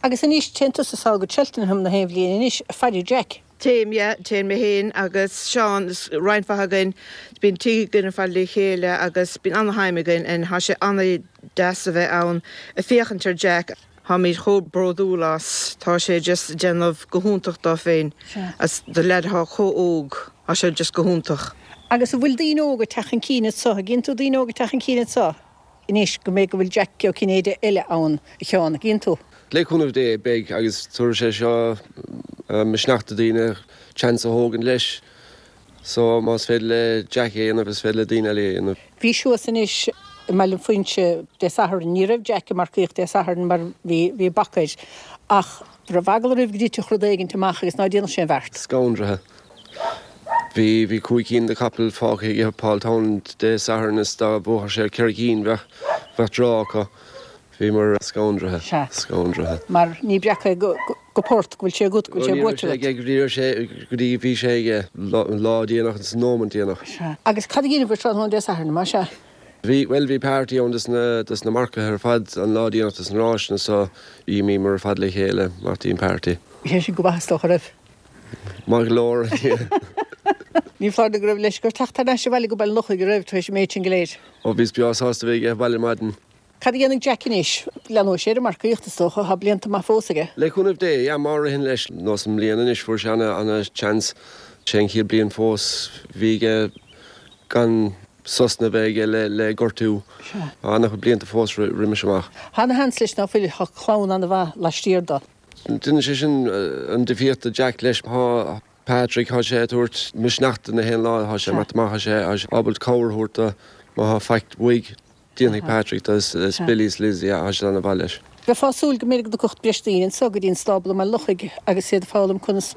Agus anois, téann tusa sall go Cheltenham na haon bhliain anois, ag faire Jack. Téim, yeah. Téann mé féin agus Seán, roinnt mhaith againn. Bíonn tigh againn ar fad le chéile agus bíonn ana-thime againn and tá sé ana-deas a bheith ann ag féachaint ar Jack. Táimid chomh bródúil as. Tá sé just ag déanamh go hiontach dó féin. As do leaid atá chomh óg, tá sé just go hiontach. Agus an bhfuil daoine óga ag teacht chun cinn anso? An gcíonn tú daoine óga ag teacht chun cinn anso? Anois go mbeidh go bhfuil Jack Ó Cinnéide eile ann, a Sheáin, an gcíonn tú? Le cúnamh Dé, beidh, agus tabharfaidh sé seo misneach do daoine chance a thógaint leis. So, más féidir le Jack é a dhéanamh, is féidir le daoine eile é a dhéanamh. Bhís thuas anois i mBaile an Phuinse Dé Sathairn. Ní raibh Jack ag marcaíocht Dé Sathairn mar bhí, bhí bac air. Ach raibh eagla oraibh go dtitfeadh rud éigint amach agus ná déanfadh sé an bheart? Scanraithe. Bhí, bhí cúig cinn de chapaill fágtha aige Paul Townend Dé Sathairn is dá mbuafadh sé ceithre cinn bheadh, bheadh draw acu. Bhíomar scanraithe. Sea. Scanraithe. Mar ní breac é go, go port go bhfuil sé agat, go bhfuil sé buaite agat. Ní raibh sé aige, ní raibh sé go dtí bhí sé aige an lá déanach an nóimint déanach. Sea. Agus cad a dheineabhair tráthnóna Dé Sathairn, más ea? Bhí, bhuel bhí party ann dos na, dos na marcaithe ar fad an lá déanach dos na ráiseanna so d'imíomar ar fad le chéile amach dtí an party. Bhí sé sin go maith is dócha, raibh? Maith go leor. Ní foláir nó go raibh leisce ort teacht thar n-ais abhaile go Baile an Lochaigh, an raibh, tar éis an méid sin go léir? Ó bhíos breá sásta bheith aige abhaile ar maidin. Cad a dhéanfaidh Jack anois? Leanóidh sé ar an marcaíocht, is dócha. Tá blianta maith fós aige. Le cúnamh Dé, yeah, má ritheann leis. Nós i mbliana anois, fuair sé ana, ana chance. Sé an chéad bliain fós bhí aige gan sosanna bheith aige le, le gortú. Sea. Tá ana chuid blianta fós roimis amach. Tá ana sheans leis ná fuil. Tá clann ana mhaith laistiar do. Déanann sé sin an difríocht do Jack leis. Tá Patrick, tá sé ag tabhairt misneach do na haon lá, tá sé ag imeacht amach, tá sé ábalta cabhair a thabhairt do má tá faic uaidh, déanfaidh Patrick do is Billy is Liz, yeah, tá siad ana-mhaith leis. Bheifeá ag súil go mb'fhéidir go dtiocfadh breis daoine anso go dtí an stábla i mBaile an Lochaigh agus iad ag foghlaim conas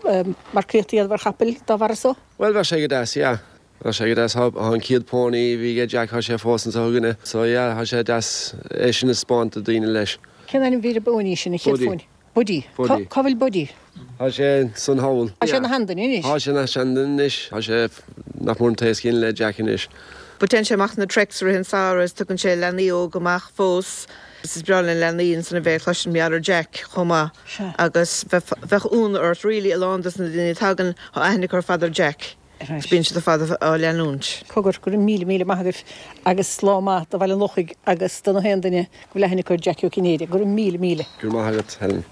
marcaíocht a dhéanamh ar chapaill dá bharra so. Bhuel, bheadh sé go deas, yeah. Bheadh sé go deas. Tá an chéad pony a bhí aige Jack, tá sé fós anseo againne. So yeah, tá sé deas é sin a 'speáint do daoine leis. Cén ainm a bhí ar an bpóiní sin, an chéad phóiní? Buddy. Buddy. Cá bhfuil Buddy? Tá sé ansan thall. Tá sé ina sheanduine anois. Tá sé ina sheanduine anois. Tá sé nach mór an t-aos céanna le Jack anois. But téann sé amach na treks i rith an samhradh is tugann sé leanaí óga amach fós. Is breá le leanaí ansan a bheith ag cloisint mar gheall ar Jack chomh maith agus bheadh ionadh ort really a lán dos na daoine a tagann tá aithne acu ar fad ar Jack. Agus bíonn siad ar fad á leanúint. Cogar, go raibh míle míle maith agaibh agus lá maith do Bhaile an Lochaigh agus do na haon duine go bhfuil aithne acu ar Jackie Ó Cinnéide. Go raibh míle míle. Go raibh maith agat, Helen.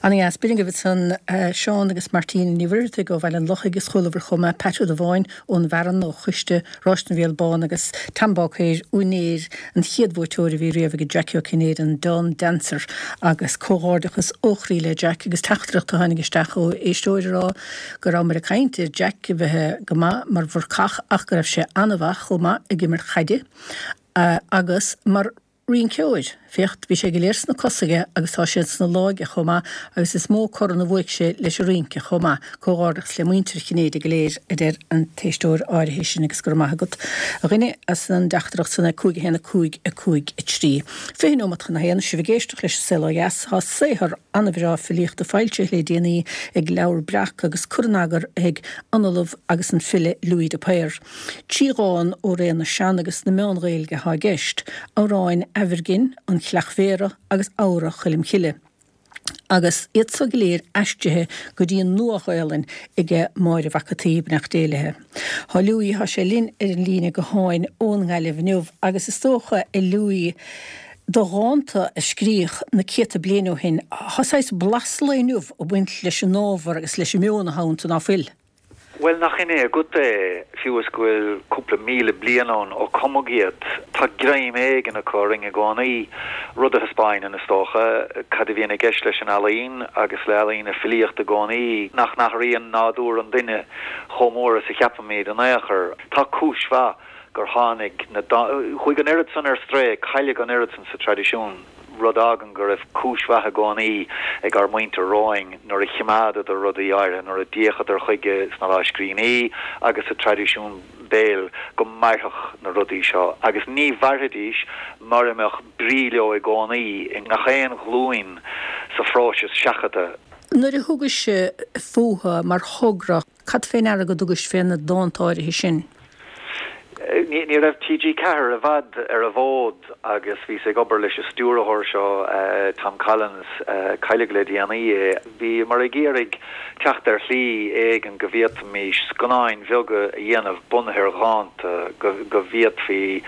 Ana-dheas. B'in agaibh ansan Seán agus Martina Ní Mhuircheartaigh ó Bhaile an Lochaigh is chualabhair chomh maith Pat Ó Dubháin ón bhFearann ó Choiste Ráis na bhFial Bán agus Tom Báicéir, úinéir an chéad bhuaiteoir a bhí riamh ag Jackie Ó Cinnéide, an Dawn Dancer agus comhghairdeachas ó chroí le Jack agus teachtaireacht a tháinig isteach ó éisteoir a rá go rabhamar ag caint ar Jack a bheith go maith mar mharcach ach go raibh sé an-mhaith chomh maith ag imirt chaide agus mar rinceoir. Féach, bhí sé go léir sna cosa aige agus tá siad sna lámha aige chomh maith agus is mó corn a bhuaigh sé leis an rince chomh maith. Comhghairdeachas le muintir Chinnéide go léir, a deir an t-éisteoir áirithe sin agus go raibh maith agat, a dhuine, as an dteachtaireacht san ag 5 1 5 5 3. 20 nóimeat chun a haon, sibh ag éisteacht leis An Saol Ó Dheas. Tá saothar an-bhreá filíochta foilsithe le déanaí ag Leabhar Breac agus cur in eagar ag an Ollamh agus an file Louis de Paor. Trí dhán ó ré na Sean agus na Meán-Ghaeilge atá i gceist, Amhráin Aimhirghin, An Chleach Bhéarra agus Amhra Choilm Chille, agus iad so go léir aistrithe go dtí an Nua-Ghaelainn aige Máire Mhac an tSaoi, beannacht Dé léi. Tá Louis, tá sé linn ar an líne gutháin ón nGaillimh inniu agus is dócha, a Louis, do dhánta a scríodh na céadta bliain ó shin, tá saghas blas lae inniu ag baint leis an ábhar agus leis an meon atá iontu, ná fuil? Bhuel, nach in é agat é, fiú is go bhfuil cúpla 1,000 bliain ann ó cumadh iad, tá greim éigin acu orainn i gcónaí, rud a thaispeáineann, is dócha, cad a bhíonn i gceist leis an ealaín agus le ealaín na filíochta i gcónaí, nach n-athraíonn nádúr an duine chomh mór is a cheapaimid in aon chor. Tá cúis mhaith gur tháinig na chuaigh an oiread san ar strae, cailleadh an oiread san sa traidisiún. rud a fhágann go raibh cúis mhaith i gcónaí ag ár muintir romhainn nuair a chimeádadar rudaí áirithe, nuair a d'fhéachadar chuige sna lámhscríbhinní agus sa traidisiún béil go mairfeadh na rudaí seo agus ní mhairfidís mura mbeadh brí leo i gcónaí i ngach aon ghlúin sa phróiseas seachadta. Nuair a thugais fúthu mar thogra, cad fé ndeara go dtugais fé na dánta áirithe sin? Ní raibh TG4 i bhfad ar an bhfód agus bhíos ag obair leis an stiúrthóir seo, Tom Collins, cailleadh le déanaí é. Bhíomar ag iarraidh teacht ar shlí éigin go bhféadfaimis scannáin bheaga a dhéanamh bunaithe ar dhánta, go bhféadfaí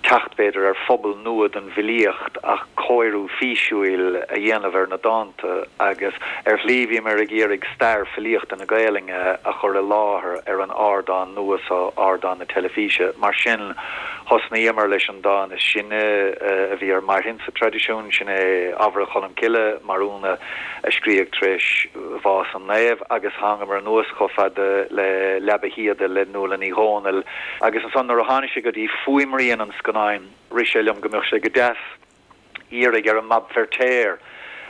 teacht, b'fhéidir, ar phobal nua don bhfilíocht ach cóiriú físiúil a dhéanamh ar na dánta agus ar shlí bhíomar ag iarraidh stair filíochta na Gaelainne a chur i láthair ar an ardán nua seo, ardán na teilifíse. Mar sin, thosnaíomar leis an dán is sine a bhí ar marthain sa traidisiún, sin é Adhmhara Cholm Cille, Mathúna. a scríodh tar éis bhás an naoimh, agus thángamar anuas chomh fada le Leaba Shíoda le Nuala Ní Dhomhnaill, agus ansan nuair a tháinig sé go dtí fuaimrian an scannáin, rith sé liom go mbeadh sé go deas iarraidh ar an mBab Feirtéar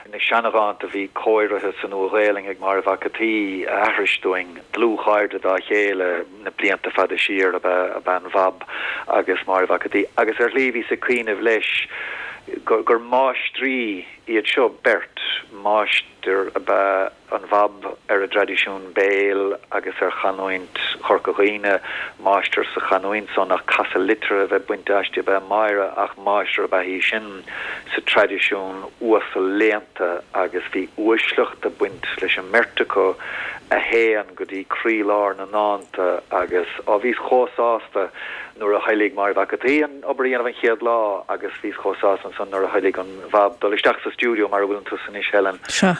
na seanadhánta a bhí cóirithe sa Nua-Ghaelainn ag Máire Mhac an tSaoi a aithris dúinn. Dlúthchairde dá chéile na blianta fada siar ab ea an Bhab agus Máire Mhac an tSaoi, agus ar shlí bhíos ag cuimhneamh leis gur máistrí iad seo beirt, máistir ab ea an Bhab ar an dtraidisiún béil agus ar chanúint Chorca Dhuibhne, máistir sa chanúint san ach casadh liteartha a bheith bainte aisti ab ea Máire ach máistir ab ea í sin sa traidisiún uasal léannta agus bhí uaisleacht ag baint leis an mbeirt acu a théann go dtí croílár na ndánta agus, á, bhíos chomh sásta nuair a thoiligh Máire Mhac an tSaoi an obair a dhéanamh an chéad lá agus bhíos chomh sásta ansan nuair a thoiligh an Bhab dul isteach sa stiúideo mar a bhfuileann tusa anois, Helen,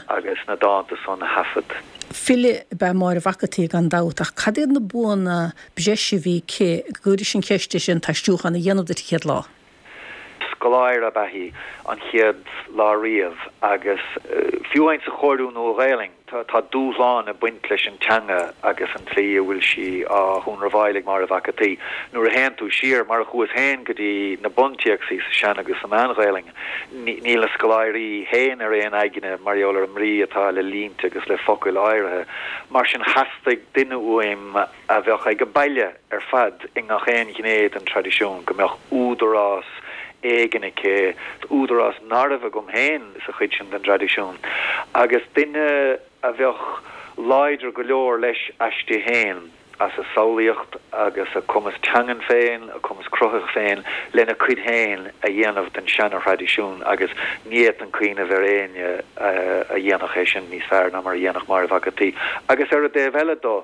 agus na dánta san a thaifead. File ab ea Máire Mhac an tSaoi gan dabht, ach cad iad na buanna breise a bhí aici go gcuiris an cheist sin an t-aistriúchán a dhéanamh duit an chéad lá? Scoláire ab ea í an chéad lá riamh agus fiú amháin sa chóiriú Nua-Ghaelainn tá dúshlán ag baint leis an teanga agus an tslí a bhfuil sí á hionramháil ag Máire Mhac an tSaoi. Nuair a théann tú siar, mar a chuas féin, go dtí na buntéacsaí sa Sean agus sa Mheán-Ghaelainn, níl na scoláirí féin ar aon aigne mar gheall ar an mbrí atá le línte agus le focail áirithe. Mar sin theastaigh duine uaim a bheadh ag baile ar fad i ngach aon ghné den traidisiún, go mbeadh údarás éigin aici, údarás ná raibh agam féin sa chuid sin den dtraidisiún, agus duine a bheadh láidir go leor leis aisti féin, as a samhlaíocht agus a cumas teangan féin, a cumas cruthaithe féin, lena cuid féin a dhéanamh den seana-thraidisiún, agus ní fhéadfainn cuimhneamh ar éinne a dhéanfadh é sin níos fearr ná mar a dhéanfadh Máire Mhac an tSaoi. Agus ar an dtaobh eile do,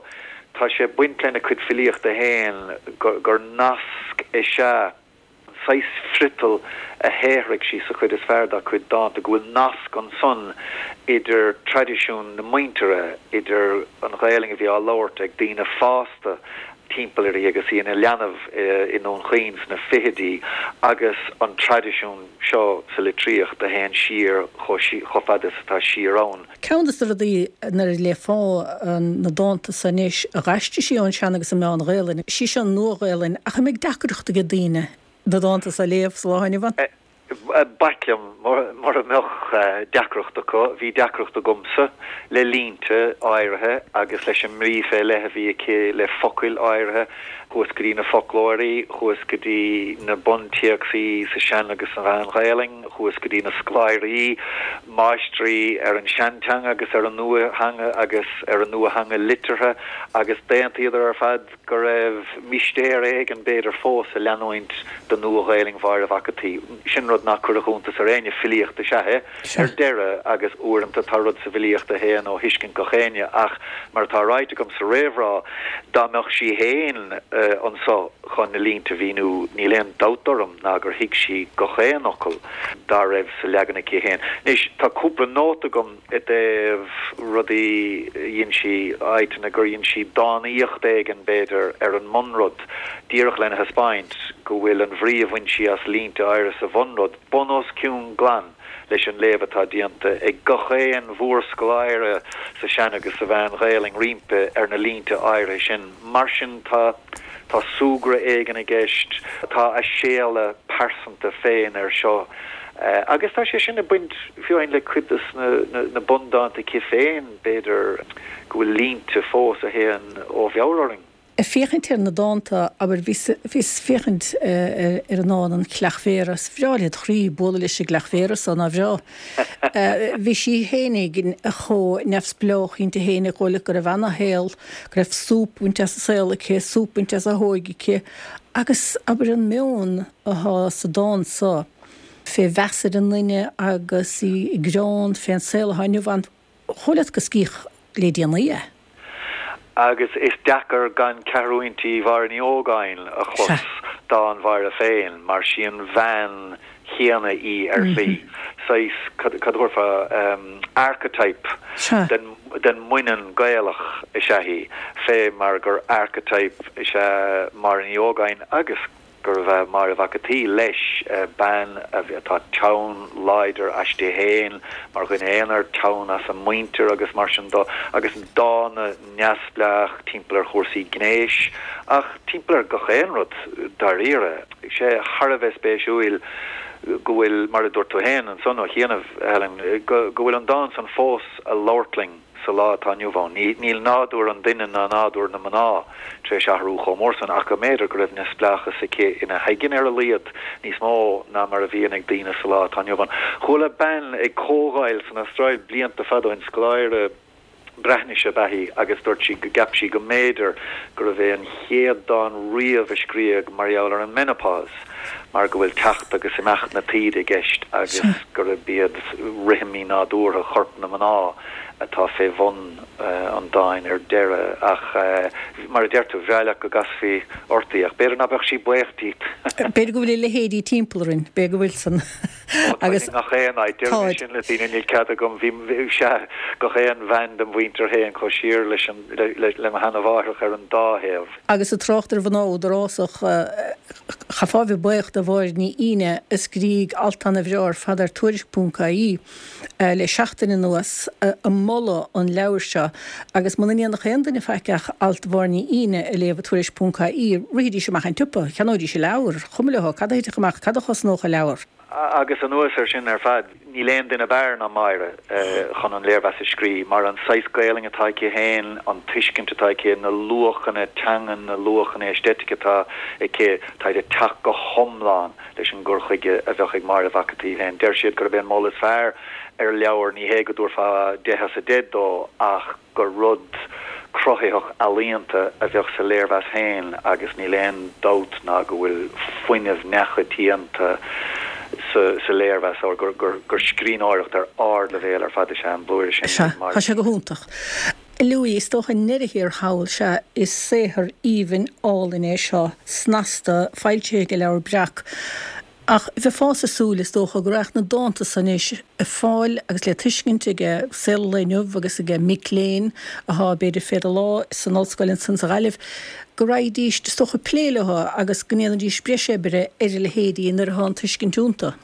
Tá sé ag baint lena cuid filíochta féin gur nasc is ea an saghas friotail a shaothraigh sí sa chuid is fearr dá cuid dánta, go bhfuil nasc ansan idir traidisiún na muintire, idir an Ghaelainn a bhí á labhairt ag daoine fásta timpeall uirthi agus í ina leanbh i nDún Chaoin sna fichidí, agus an traidisiún seo sa litríocht a théann siar chomh fada is atá siar ann. Ceann de na rudaí nuair a léifeá na dánta so anois a dh'aistrigh sí ón Sean agus an Meán Ghaelainn, sí seo an Nua-Ghaelainn, ach an mbeidh deacracht ag daoine na dánta so a léamh sa lá inniu ann? B'ait liom mura mbeadh deacracht acu. Bhí deacracht agamsa le línte áirithe agus leis an mbrí fé leith a bhí aici le focail áirithe. Chuas go dtí na foclóirí, chuas go dtí na buntéacsaí sa Sean agus sa Mheán-Ghaelainn. Chuas go dtí na scoláirí, máistrí ar an seanteanga agus ar an nuatheanga agus ar an nuatheanga liteartha agus d'aontaíodar ar fad go raibh mistéir éigin b'fhéidir fós ag leanúint de Nua-Ghaelainn Mháire Mhac an tSaoi. Sin rud ná cuirfeadh iontas ar éinne, filíocht is ea é ar deireadh agus uaireanta tá rud sa bhfilíocht a théann ó thuiscint gach éinne ach mar atá ráite agam sa réamhrá, dá mbeadh sí féin anso, chun na línte a mhíniú, níl aon dabht orm ná gur thuig sí gach aon fhocal dá raibh sa leagan aici féin. Anois, tá cúpla nóta agam i dtaobh rudaí a dhein sí, áiteanna gur dhein sí dánaíocht éigin, b'fhéidir, ar an mbunrud, díreach lena thaispeáint go bhfuil an bhrí a bhain sí as línte áirithe sa bhunrud bun os cionn glan leis an léamh atá déanta ag gach aon mhórscoláire sa Sean agus sa Mheán-Ghaelainn roimpi ar na línte áirithe sin. Mar sin, tá. Tá súgradh éigin i gceist, tá a séala pearsanta féin air seo agus tá sé sin ag baint fiú amháin le cuid de na bundánta aici féin, b'fhéidir go bhfuil línte fós a théann ó mheabhair orainn. Ag féachaint ar na dánta, abair, bhíos ag féachaint ar an ndán An Chreach Mhéara, is bhreá led chroí bualadh leis an gcreach mhéara so, nár bhreá? Bhí sí fhéinig chomh neamhspleách inti fhéinig, dhóigh leat go raibh ana-shaol, go raibh súp bainte as an saol aici, súp bainte as a hóige aici, agus abair an meon athá sa dán so fé mheas ar an nduine agus í ag greann fén saol athá inniu ann, Dhóigh leat gur scríodh le déanaí é. Agus is deacair gan ceathrúintí Mháire Ní Ógáin a chlos, dán Mháire féin, mar sí an bhean chéanna í ar shlí. Saghas, cad a thabharfá, archetype den den mbaineann Gaelach is ea í, fé mar gur archetype is ea Máire Ní Ógáin agus gurbh ea Máire Mhac an tSaoi, leis, bean atá teann láidir aisti féin mar dhuine aonair, teann as a muintir agus mar sin de, agus dána neamhspleách timpeall ar chúrsaí gnéis, ach timpeall ar gach aon rud dáiríre. Sé thar a bheith spéisiúil go bhfuil, mar a dúirt tú féin ansan ó chianaibh, Helen, go bhfuil an dán san fós a labhairt linn. sa lá atá inniu ann. Níl nádúr an duine ná nádúr na mná tar éis athrú chomh mór san, ach go mb'fhéidir go raibh neamhspleáchas aici ina haigne ar a laghad, níos mó ná mar a bhíonn ag daoine sa lá atá inniu ann. Chuala bean ag comhdháil san Astráil blianta fada ó shin, scoláire Breatnaise ab ea í, agus dúirt sí go gceap sí go mb'fhéidir gurbh é an chéad dán riamh a scríodh mar gheall ar an menopause. mar go bhfuil teacht agus imeacht na taoide i gceist agus gurb iad rithimí nádúrtha chorp na mná atá fé bhun an dáin ar deireadh. Ach mar a deir tú, bhreá leat go gcasfaí ort í, ach b'fhéidir ná beadh sí buíoch díot. B'fhéidir go bhfuil a leithéidí timpeall orainn, b'fhéidir go bhfuil san. Ó, táid i ngach aon áit, deirim é sin le daoine, níl cead agam, bhí, sea, gach aon bhean dem mhuintir féin chomh siar leis an, le mo sheana-mháithreach ar an dá thaobh. Agus ag trácht ar mhná údarásach, chaithfeá a bheith buíoch de Mháire Ní Fhíne a scrígh alt ana-bhreá ar fad ar Tuairisc.ie le seachtain anuas ag moladh an leabhair seo agus muna ndéanfadh aon duine faic ach alt Mháire Ní Fhíne a léamh i Tuairisc.ie, rithidís amach an tsiopa, cheannóidís an leabhar, chuma leo cad a thitfeadh amach, cad a chosnódh an leabhar. Agus anuas air sin ar fad, níl aon duine ab fhearr ná Máire chun an léirmheas a scrí, mar an saghas Gaelainn atá aici féin, an tuiscint atá aici, na luachanna teangan, na luachanna aesthetic atá aici, táid ag teacht go hiomlán leis an gcur chuige a bheadh ag Máire Mhac an tSaoi féin. Deir siad gurb é an moladh is fearr ar leabhar, ní hé go dtabharfá deich as a deich dó, ach. gur rud cruthaitheach ealaíonta a bheadh sa léirmheas féin agus níl aon dabht ná go bhfuil fuinneamh neachoitianta sa léirmheas, or gur scríbhneoireacht ar ardleibhéal ar fad is ea an blúire sin Sea, tá sé go hiontach. Louis, is dócha i ndeireadh thiar thall, sea, is saothar aoibhinn álainn é seo, snasta, foilsithe ag Leabhar Breac. Ach bheifeása ag súil, is dócha, go raghadh na dánta so anois ar fáil agus le tuiscint ag saol an lae inniu agus ag mic léinn athá, b'fhéidir, fé do lámh san ollscoil ansan sa Ghaillimh, go raghaidís, is dócha, ag plé leo agus go ndéanfaidís breis oibre ar a leithéidí nuair athá an tuiscint iontu.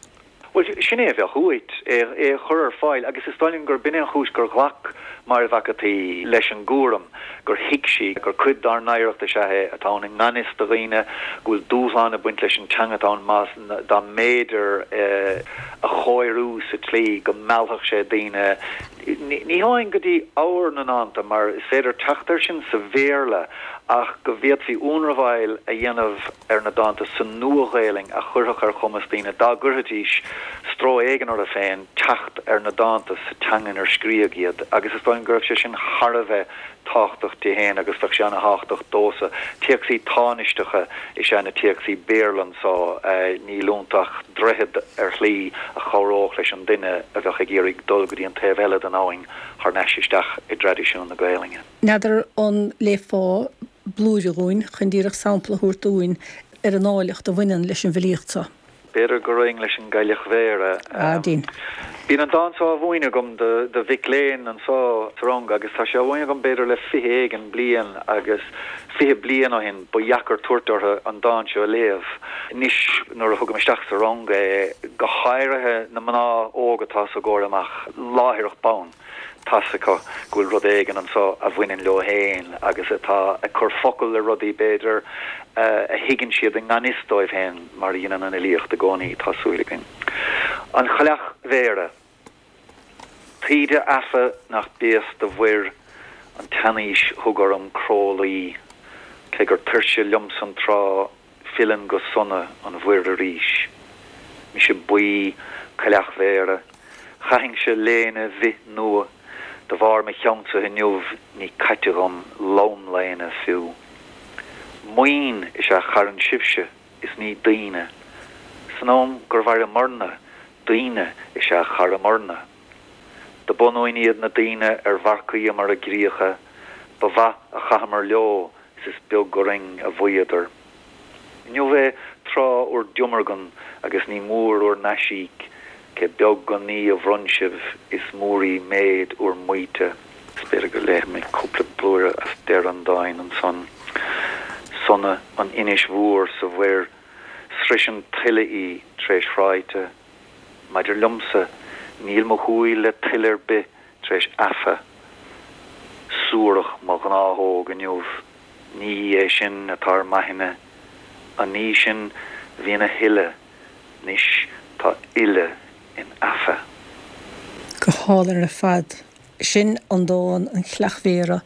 Bhuel, sin é a bheadh uait, é a chur ar fáil agus is dóigh liom gurb in é an chúis gur ghlac Máire Mhac an tSaoi leis an gcúram, gur thuig sí gur cuid dár n-oidhreacht is ea é atá ann i ngan fhios do dhaoine, go bhfuil dúshlán ag baint leis an teanga atá ann más, dá mb'fhéidir é a chóiriú sa tslí go meallfadh sé daoine, ní hamháin go dtí ábhar na ndánta, mar is féidir teacht air sin sa Bhéarla, ach go bhféadfaí ionramháil a dhéanamh ar na dánta sa Nua-Ghaelainn a chuirfeadh ar chumas daoine, dá gcuirfidís stró éigin orthu féin, teacht ar na dánta sa teanga inar scríodh iad agus is dóigh liom go raibh sé sin thar a bheith tábhachtach di féin agus bheadh sé ana-thábhachtach domhsa. Téacsaí tánaisteacha is ea na téacsaí Béarla anso, níl iontu ach droichead ar shlí a chabhródh leis an duine a bheadh ag iarraidh dul go dtí an taobh eile den abhainn thar n-ais isteach i dtraidisiún na Gaelainne. N'fheadar an léifeá blúire dhúinn chun díreach sampla a thabhairt dúinn ar an áilleacht a bhaineann leis an bhfilíocht seo. B'fhéidir go raghainn leis an gCailleach Bhéarra. Ah, dein. Bíonn an dán seo á mhúineadh agam do mhic léinn anso sa rang agus tá sé á mhúineadh agam b'fhéidir le 20 éigin bliain agus 20 bliain ó shin ba dheacair tabhairt orthu an dán seo a léamh. Anois nuair a thugaim isteach sa rang é, go háirithe na mná óga atá sa gcomhair amach, láithreach bonn, tá's acu go bhfuil rud éigin anso a bhaineann leo féin agus atá ag cur focal le rudaí, b'fhéidir, a thuigeann siad i ngan fhios dóibh féin, mar a dhéanann an fhilíocht i gcónaí, tá súil againn. An Chailleach Bhéarra. Taoide aife nach béas do mhuir an tseanaois thug orm cró luí. Cé gur tuirse liomsa an trá, filleann go sona an mhuir arís. Mise buí, coileachmhéara, chaithinnse léine bhith nua, de bharr mo cheannsa inniu ní caite dhom lomléine fiú. Maoin is ea charann sibhse is ní daoine. San am gur mhaireamarna, daoine is ea charamarna. Do b'ionúin iad na daoine ar mharcaíomar a gcríocha, ba mhaith a chaitheamar leo is is beag orainn a mhaíodar. Inniu é tráth úr diomargan agus ní mór úr n-aisíoc, cé beag an ní a bhronn sibh is mór í méid úr maíte. Is b'fhéidir go léifidh mé cúpla blúire as deireadh an dáin ansan. Sona an inis mhór sa mhuir, sroiseann tuile í tar éis thráite. Maidir liomsa, níl mo shúil le tuile ar bith tar éis aife. Suarach mo ghnáthóg inniu, ní é sin atá ar m'aithne. An ní sin bhí ina thuile, 'nois tá uile in aife. Go hálainn ar fad. Sin an dán 'An Chreach Mhéara'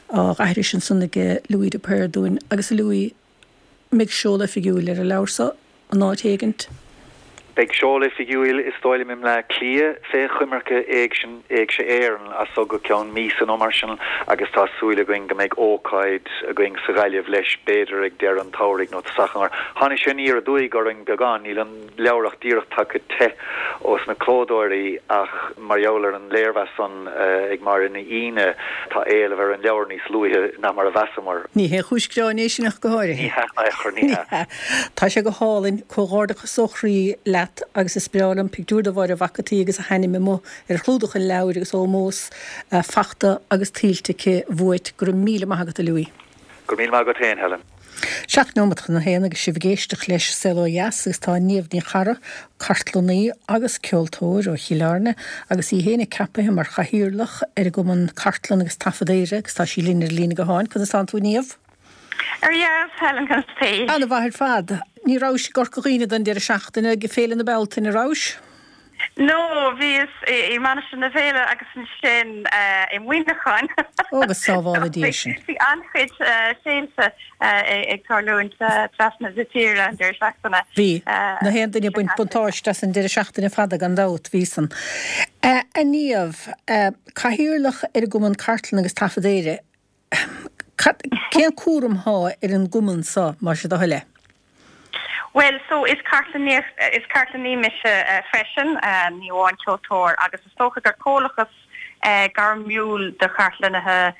á aithris ansan ag Louis de Paor dúinn. Agus a Louis, mbeidh seoladh oifigiúil ar an leabhar so in áit éigint? Beidh seoladh oifigiúil is dóigh liom i mBleá Cliath fé choimirce Éigse Éireann as so go ceann míosa nó mar sin agus tá súil againn go mbeidh ócáid againn sa Ghaillimh leis b'fhéidir ag deireadh an tsamhraidh nó tosach an Tháinig sé aniar aduaidh orainn beagán, níl an leabhar ach díreach tagtha te ós na clódóirí ach mar gheall ar an léirmheas san ag Máire Ní Fhíne tá éileamh ar an leabhar níos luaithe ná mar a mheasamar. Ní haon chúis gráin é sin ach go háirithe. Ní hea, in aon chor, ní hea. Tá sé go hálainn. Comhghairdeachas ó chroí leat agus is breá liom pictiúr de Mháire Mhac an tSaoi agus a hainm amuigh ar chlúdach an leabhair agus ómós fachta agus tuillte aici uait. Go raibh míle maith agat a Louis. Go raibh míle maith agat féin, Helen. 7 nóimeat chun a haon agus sibh ag éisteacht leis Saol Ó Dheas agus tá Niamh Ní Charra, cartlannaí agus ceoltóir ó Chill Airne agus í féin ceapaithe mar chathaoirleach ar an gCumann Cartlann agus Taifead Éire agus tá sí linn ar an líne gutháin. Conas tánn tú a Niamh? Ar dheas, Helen, conas tá? Ana-mhaith ar fad. Ní rabhais i gCorca Dhuibhne don deireadh seachtaine ag Féile na Bealtaine, rabhais? No, bhíos i Mainistir na Féile agus ansin i Muineachán. Ó, go sábhála Dia sinn. Bhí an-chuid féilte ag tarlúint trasna na tíre an deireadh seachtaine. Bhí. Na haon duine ag baint buntáiste as an deireadh seachtaine fada gan dabht, bhí san. A Niamh, Cathaoirleach ar an gCumann Cartlann agus Taifead Éire, Cad, cén cúram thá ar an gcumann so, más é do thoil é? Bhuel, so is cartlannaí, is cartlannaí mise freisin, ní amháin ceoltóir, agus is dócha gur comhlachas gairmiúil de chartlannaithe,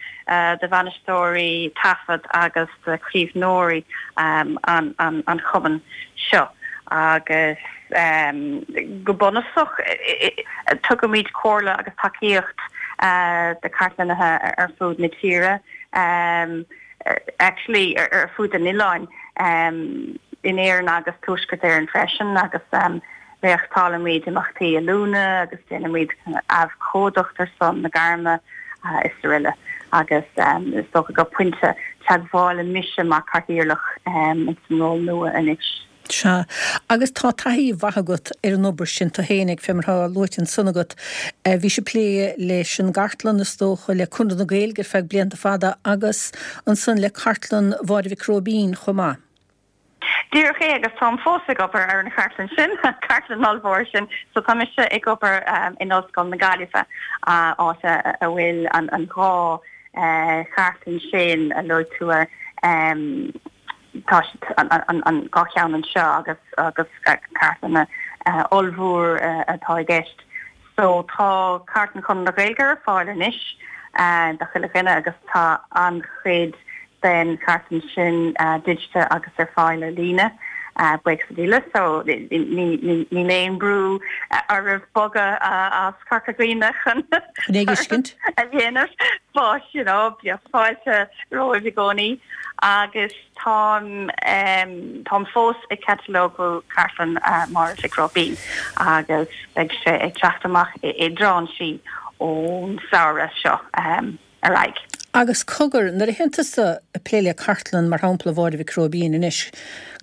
de bhainisteoirí taifead agus de chaomhnóirí an an chumann seo. Agus go bunúsach tugaimid comhairle agus tacaíocht do chartlannaithe ar fud na tíre, actually ar fud an oileáin, in Éirinn agus Tuaisceart Éireann freisin, agus réachtálaimid imeachtaí oiliúna agus déanaimid abhcóideacht ar son na gairme is aroile. Agus is dócha gur pointe teagmhála mise mar chathaoirleach ins an ról nua anois. Sea. Agus tá taithí mhaith agat ar an obair sin tú fhéinig, fé mar atá luaite ansan agat. Bhís ag plé leis an gcartlann, is dócha, le Conradh na Gaeilge ar feadh blianta fada agus ansan le Cartlann Mháire Mhic Róibín chomh maith. Díreach é, agus táim fós ag obair ar an chartlann sin, an chartlann ollmhór sin. So tá mise ag obair in Ollscoil na Gaillimhe, áit a bhfuil an dá chartlann sin a luaigh tú air, Tá an dá cheann anseo agus agus cartlanna ollmhór atá i gceist. So tá Cartlann Chonradh na Gaeilge ar fáil anois do chuile dhuine agus tá an-chuid den chartlann sin digitithe agus ar fáil ar líne, buíochas le Dia. So níl aon brú oraibh bogadh as Corca Dhuibhne chun é a dhéanamh but you know bíodh fáilte romhaibh i gcónaí agus táim táim fós ag catalógú Cartlann Mháire Mhic Róibín agus beidh sé ag teacht amach i dtráinsí ón samhradh seo ar aghaidh. Agus cogar, nuair a théann tusa ag plé le cartlann, mar shampla Mháire Mhic Róibín anois,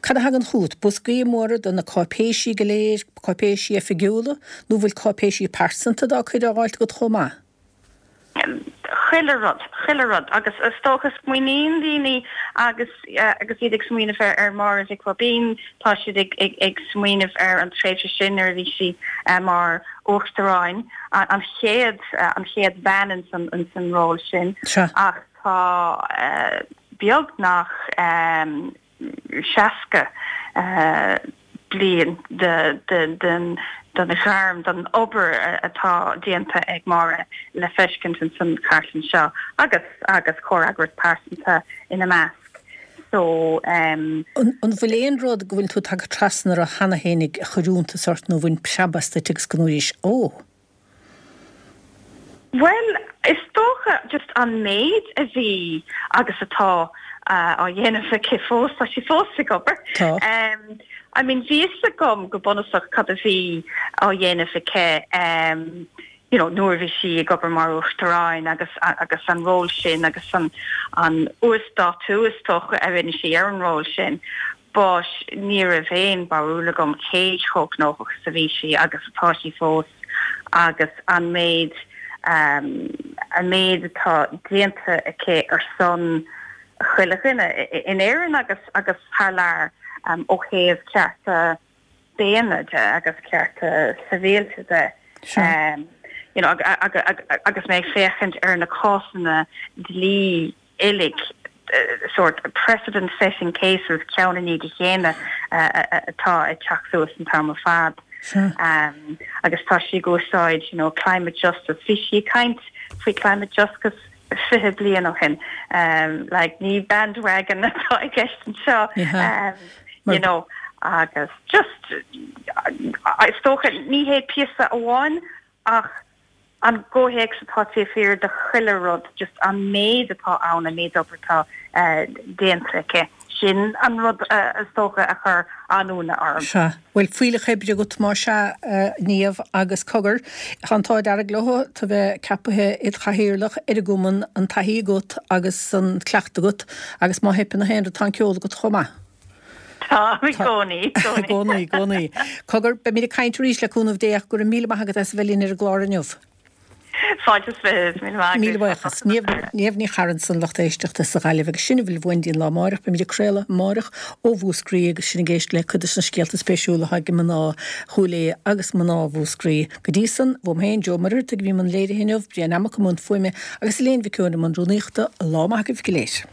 cad a thagann chugat? Boscaí móra de na cáipéisí go léir, cáipéisí oifigiúla, nó bhfuil cáipéisí pearsanta dá cuid á fháilt agat chomh maith? Chuile rud, chuile rud. Agus is dócha, smaoiníonn daoine agus agus iad ag smaoineamh ar ar Máire Mhic Róibín, tá siad ag ag ag smaoineamh ar an tréimhse sin nuair a bhí sí mar Uachtaráin, an chéad an chéad bhean ins an ins an ról sin. Ach tá beagnach 60 bliain den ghairm, den obair atá déanta ag Máire le feiscint ins an chartlann seo agus agus comhfhreagras pearsanta ina measc. So. An bhfuil aon rud go bhfuil tú tagtha trasna air cheana fhéinig a chuir iontas ort nó a bhain preab as duit agus go ndúraís 'Ó! Bhuel, is dócha just an méid a bhí agus atá á dhéanamh aici fós, tá sí fós ag obair. Tá. I mean bhí fhios agam go bunúsach cad a bhí á dhéanamh aici you know nuair a bhí sí ag obair mar Uachtaráin agus agus an ról sin agus an an uasdátú is dócha a rinne sí ar an ról sin. But ní raibh aon bharúil agam cé chomh gnóthach is a bhí sí agus atá sí fós agus an méid an méid atá déanta aici ar son chuile dhuine in Éirinn agus agus thar lear ó thaobh cearta daonna de agus cearta sibhialta de. You know agus mé ag féachaint ar na cásanna dlí uilig, sórt precedent setting cases ceann i ndiaidh a chéile atá ag teacht suas an t-am ar fad. Agus tá sí ag úsáid you know climate justice, bhí sí ag caint faoi climate justice 20 bliain ó shin, like ní bandwagon atá i gceist anseo, you know agus just is dócha ní hé píosa amháin ach an gcomhthéacs atá taobh thiar de chuile rud, just an méid atá ann, an méid obair atá déanta aici, sin an rud is dócha a chuir an-ionadh orm. Sea. Bhuel, fuílleach oibre agat má sea, a Niamh, agus cogar, tá an t-ádh dearg leo tú a bheith ceapaithe id chathaoirleach ar an gcumann, an taithí agat agus an cleachtadh agat, agus má theipeann na haon rud tá an ceol agat chomh maith. Tá, i gcónaí, i gcónaí. I gcónaí, i gcónaí. Cogar, beimid ag caint arís le cúnamh Dé ach go raibh míle maith agat as a bheith linn ar an gclár inniu. Fáilte is fiche, míle maith agat. Míle buíochas. Niamh, Niamh Ní Charra ansan lucht éisteachta sa Ghaillimh agus sin a bhfuil uainn go dtí an lá amáireach. Beimid ag craoladh amáireach ó Mhúscraí agus sinn ag éisteacht le cuid de na scéalta spéisiúla atá ag mná Chúil Aodha agus mná Mhúscraí. Go dtí san, uaim féin, Joe Ó Muircheartaigh a bhí i mbun léirithe inniu, Brian Emac i mbun fuaime agus Elaine Mhic Eoin i mbun rúnaíochta. Lá maith agaibh go léir.